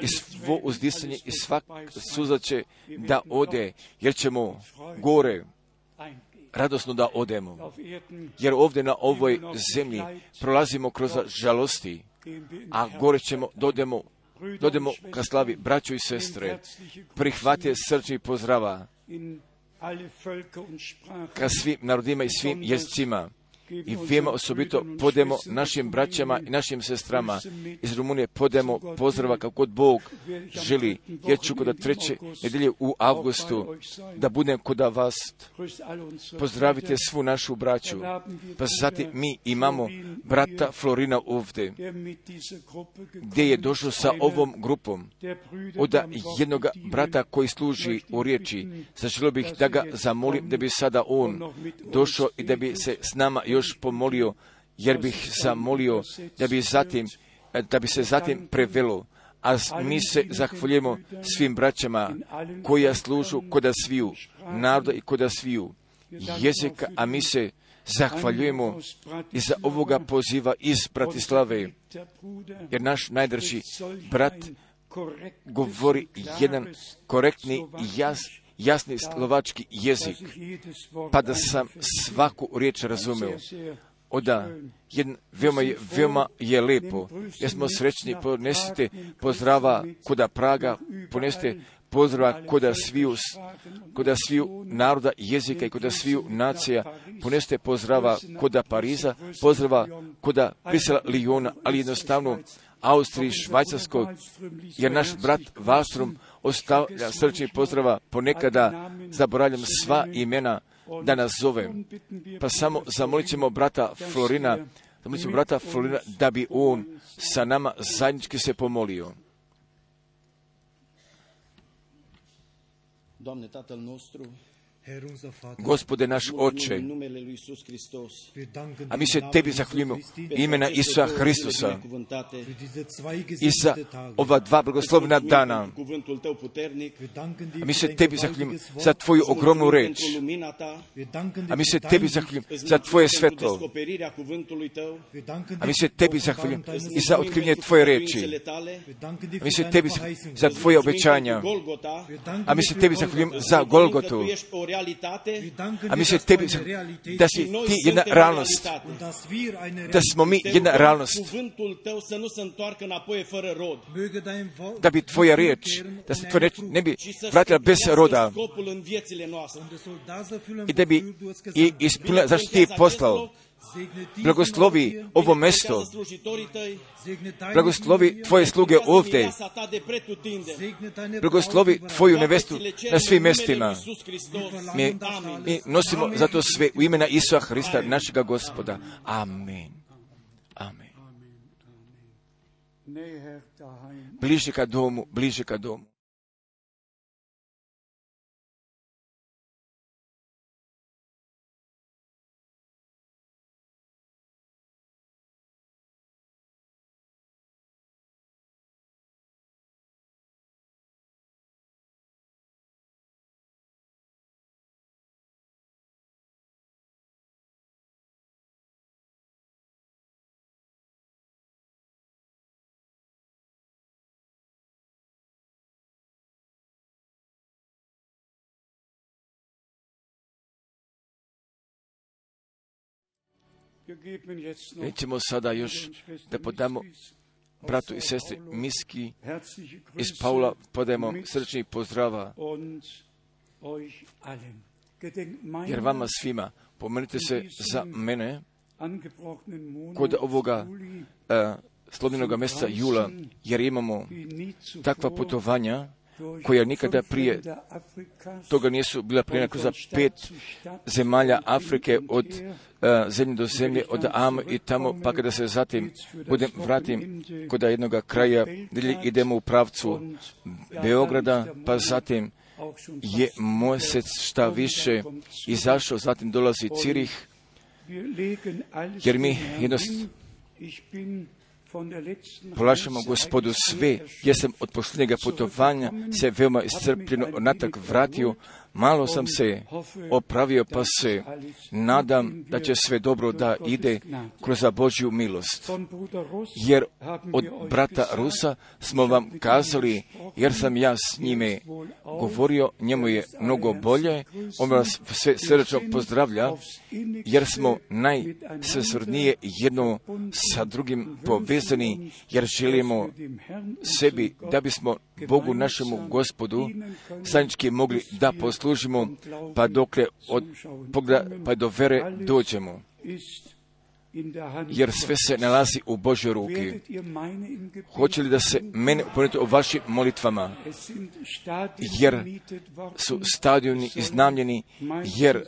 [SPEAKER 1] I svo uzdisanje i svak suza će da ode, jer ćemo gore radosno da odemo. Jer ovdje na ovoj zemlji prolazimo kroz žalosti, a gore ćemo, dodemo ka slavi. Braćo i sestre, prihvatite srčni pozdrava ka svim narodima i svim jezicima. I vijema osobito podemo našim braćama i našim sestrama iz Rumunije, podemo pozdrava kako god Bog želi. Ja ću kod 3. nedelje u avgustu da budem kod vas. Pozdravite svu našu braću. Pa zatim mi imamo brata Florina ovdje, gdje je došao sa ovom grupom od jednog brata koji služi u riječi. Zaželio bih da ga zamolim da bi sada on došao i da bi se s nama još pomolio, jer bih zamolio da bi se zatim prevelo. A mi se zahvaljujemo svim braćama koja služu koda sviju naroda i koda sviju jezika, a mi se zahvaljujemo i za ovoga poziva iz Bratislave, jer naš najdraži brat govori jedan korektni i jasni slovački jezik, pa da sam svaku riječ razumeo. Veoma je lepo. Jer smo srećni, ponesite pozdrava koda Praga, ponesite pozdrava koda sviju naroda, jezika i koda sviju nacija, ponesite pozdrava koda Pariza, pozdrava koda Brisela, Lijona, ali jednostavno Austriji, Švajcarskoj, jer naš brat Wallström ostavlja srčni pozdrava, ponekada zaboravljam sva imena da nas zovem. Pa samo zamolit ćemo brata Florina da bi on sa nama zajednički se pomolio. Gospode naš Oče, a mi se Tebi zahvaljujemo imena Isusa Hristusa i za ova dva blagoslovna dana. A mi se Tebi zahvaljujemo za Tvoju ogromnu reč. A mi se Tebi zahvaljujemo za Tvoje svetlo. A mi se Tebi zahvaljujemo i za otkrivanje Tvoje reči. A mi se Tebi zahvaljujemo za Tvoje obećanja. A mi se Tebi zahvaljujemo za Golgotu. A mi se Tebi da si Ti jedna realnost, da smo mi jedna realnost, da bi Tvoja riječ, da se Tvoja riječ ne bi vratila bez roda i da bi ispunila zašto Ti je poslao. blagoslovi ovo mesto, blagoslovi Tvoje sluge ovdje, blagoslovi Tvoju nevestu na svim mestima. Mi nosimo zato sve u imena Isusa Hrista, našega Gospoda. Amen. Amen. Bliže ka domu, bliže ka domu. Nećemo sada još da podamo bratu i sestri Miski iz Paula, podajemo srčnih pozdrava, jer vama svima pomenite se za mene kod ovoga slobodnog mjeseca jula, jer imamo takva putovanja koja nikada prije toga nisu bila prije kroz 5 zemalja Afrike, od zemlje do zemlje, od Am i tamo, pa kada se zatim vratim kod jednoga kraja, gdje idemo u pravcu Beograda, pa zatim je mjesec šta više izašao, zatim dolazi Cirih, jer mi jednostavno polašamo Gospodu sve. Ja sam od posljednjega putovanja se veoma iscrpljeno natrag vratio. Malo sam se opravio, pa se nadam da će sve dobro da ide kroz Božju milost. Jer od brata Rusa smo vam kazali, jer sam ja s njime govorio, njemu je mnogo bolje, on vas sve srdečno pozdravlja, jer smo najsvesrdnije jedno sa drugim povezani, jer želimo sebi da bismo Bogu našemu Gospodu zajednički mogli da poslužimo, pa dokle pa do vere dođemo. Jer sve se nalazi u Božjoj ruki. Hoće li da se mene uponete o vašim molitvama? Jer su stadioni iznajmljeni, jer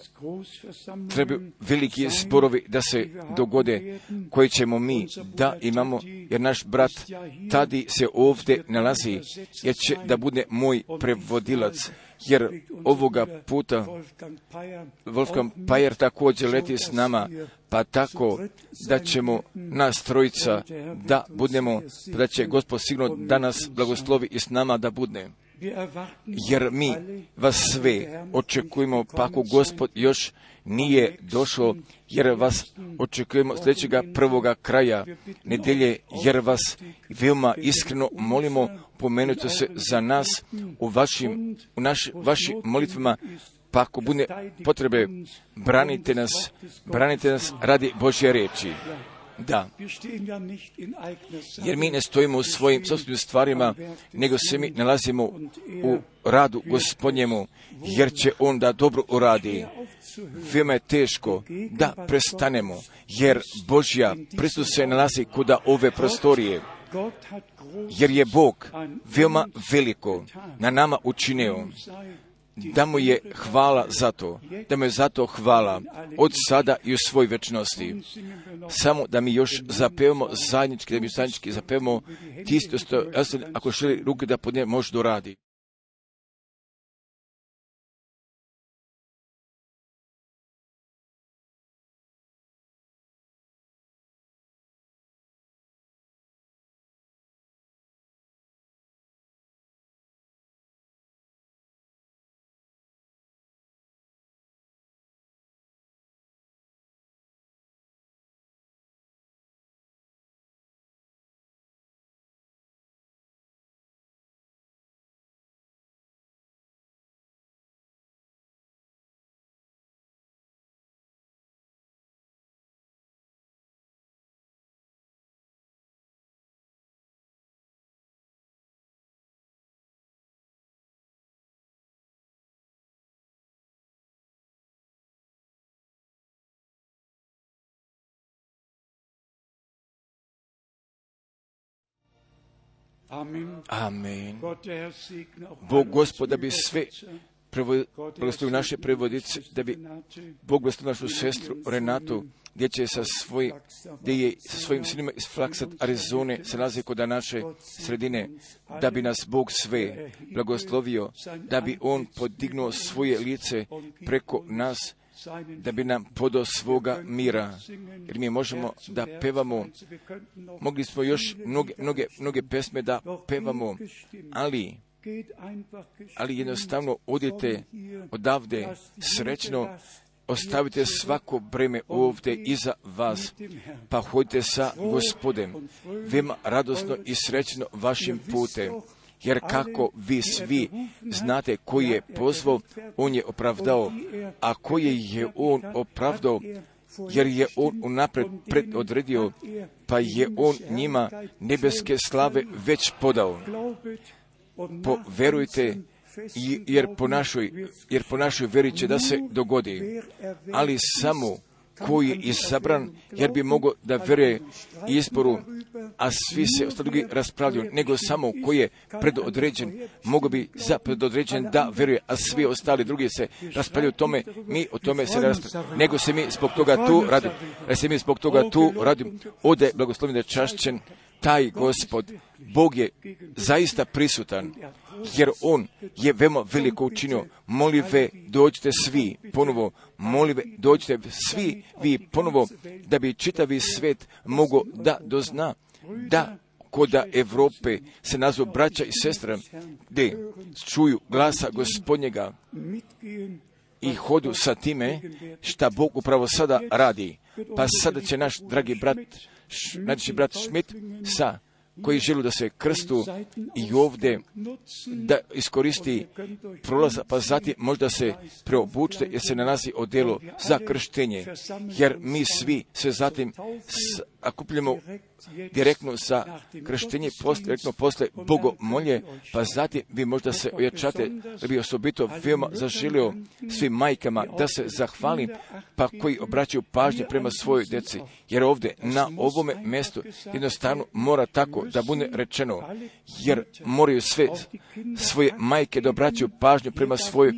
[SPEAKER 1] trebaju veliki zborovi da se dogode, koji ćemo mi da imamo, jer naš brat Tadi se ovdje nalazi, jer će da bude moj prevodilac. Jer ovoga puta Wolfgang Pajer također leti s nama, pa tako da ćemo nas trojica da budemo, da će Gospod sigurno da nas blagoslovi i s nama da bude. Jer mi vas sve očekujemo, pa ako Gospod još nije došao, jer vas očekujemo sljedećega prvoga kraja nedelje, jer vas veoma iskreno molimo, pomenute se za nas u vašim molitvama, pa ako bude potrebe, branite nas radi Božje riječi. Da, jer mi ne stojimo u svojim sopstvenim stvarima, nego se mi nalazimo u radu Gospodnjemu, jer će On da dobro uradi. Veoma je teško da prestanemo, jer Božja prisutnost se nalazi kuda ove prostorije, jer je Bog veoma veliko na nama učinio. Da mu je hvala za to, da mu je za to hvala od sada i u svoj večnosti. Samo da mi još zapevamo zajednički, da mi zajednički zapevamo tisto, ako želi ruke da podne, može doradi. Amen. Bog Gospod da bi sve blagoslovio naše prevodice, da bi Bog blagoslovio našu sestru Renatu, gdje je sa svojim sinima iz Flaxat, Arizone, se nalazi kod naše sredine, da bi nas Bog sve blagoslovio, da bi On podignuo svoje lice preko nas, da bi nam podao svoga mira. Jer mi možemo da pevamo, mogli smo još mnoge pesme da pevamo, ali jednostavno odite odavde srećno, ostavite svako breme ovdje iza vas, pa hodite sa Gospodem, veoma radosno i srećno vašim putem. Jer kako vi svi znate koji je pozvao, on je opravdao, a koje je on opravdao, jer je on unaprijed predodredio, pa je on njima nebeske slave već podao. Poverujte, jer po našoj veri će da se dogodi, ali samo koji je izabran, jer bi mogao da veruje izboru, a svi se ostali drugi raspravljaju, nego samo koji je predodređen, mogao bi predodređen da veruje, a svi ostali drugi se raspravljaju o tome, mi o tome se ne raspravljaju, nego se mi zbog toga tu radimo. Ode blagoslovljen da je čašćen taj Gospod. Bog je zaista prisutan, jer On je veoma veliko učinio. Molive, dođite svi ponovo, dođite svi vi ponovo, da bi čitavi svet mogao da dozna, da koda Evrope se nazvu braća i sestra, gdje čuju glasa Gospodnjega i hodu sa time šta Bog upravo sada radi. Pa sada će naš dragi brat Schmidt koji želi da se krstu i ovdje da iskoristi prolaza, pa zatim možda se preobučite jer se nalazi odjelo za krštenje, jer mi svi se zatim akupljamo direktno za krštenje, direktno posle bogomolje, pa zatim vi možda se ojačate, da bi osobito veoma zaželio svim majkama da se zahvalim, pa koji obraćaju pažnje prema svojoj djeci, jer ovdje na ovome mjestu jednostavno mora tako da bude rečeno, jer moraju sve svoje majke da obraćaju pažnju prema svojoj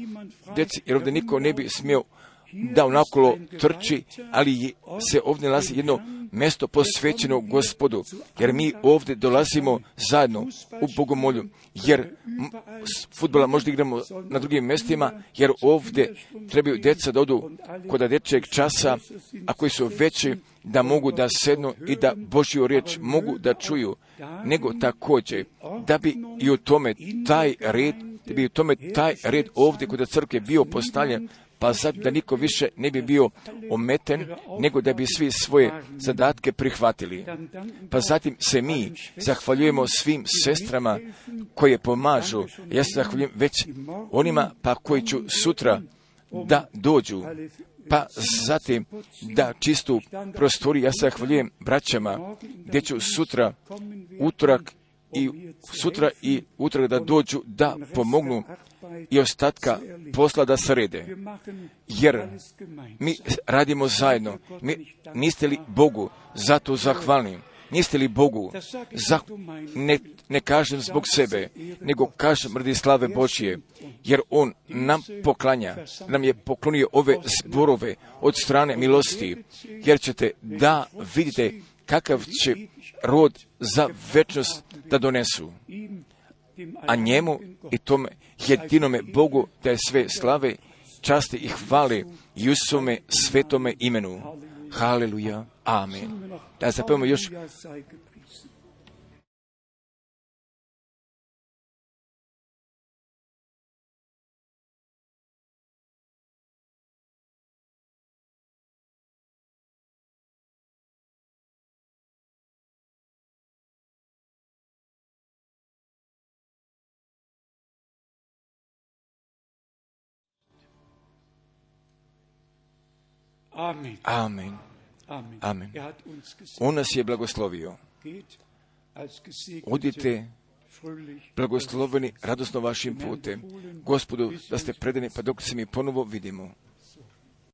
[SPEAKER 1] djeci, jer ovdje niko ne bi smio da onakolo trči, ali se ovdje nalazi jedno mjesto posvećeno Gospodu, jer mi ovdje dolazimo zajedno u bogomolju, jer fudbala možda igramo na drugim mjestima, jer ovdje trebaju djeca da odu kod dječjeg časa, a koji su veći, da mogu da sednu i da Božju riječ mogu da čuju, nego također da bi i u tome taj red ovdje kod crkve bio postavljen, pa sad da niko više ne bi bio ometen, nego da bi svi svoje zadatke prihvatili. Pa zatim se mi zahvaljujemo svim sestrama koje pomažu. Ja se zahvaljujem već onima pa koji ću sutra da dođu, pa zatim da čistu prostoriju. Ja se zahvaljujem braćama gdje ću sutra, utorak i utorak da dođu da pomognu i ostatka posla da srede. Jer mi radimo zajedno. Niste li Bogu zato zahvalni? Niste li Bogu, ne kažem zbog sebe, nego kažem radi slave Božje, jer On nam je poklonio ove zborove od strane milosti, jer ćete da vidite kakav će rod za večnost da donesu. A njemu i tome jedinome Bogu da je sve slave, časti i hvale i u svome svetome imenu. Haleluja. Amen. Da zapevamo još. Amen. Amen. On nas je blagoslovio. Odite blagosloveni radosno vašim putem. Gospodu, da ste predani, pa dok se mi ponovo vidimo.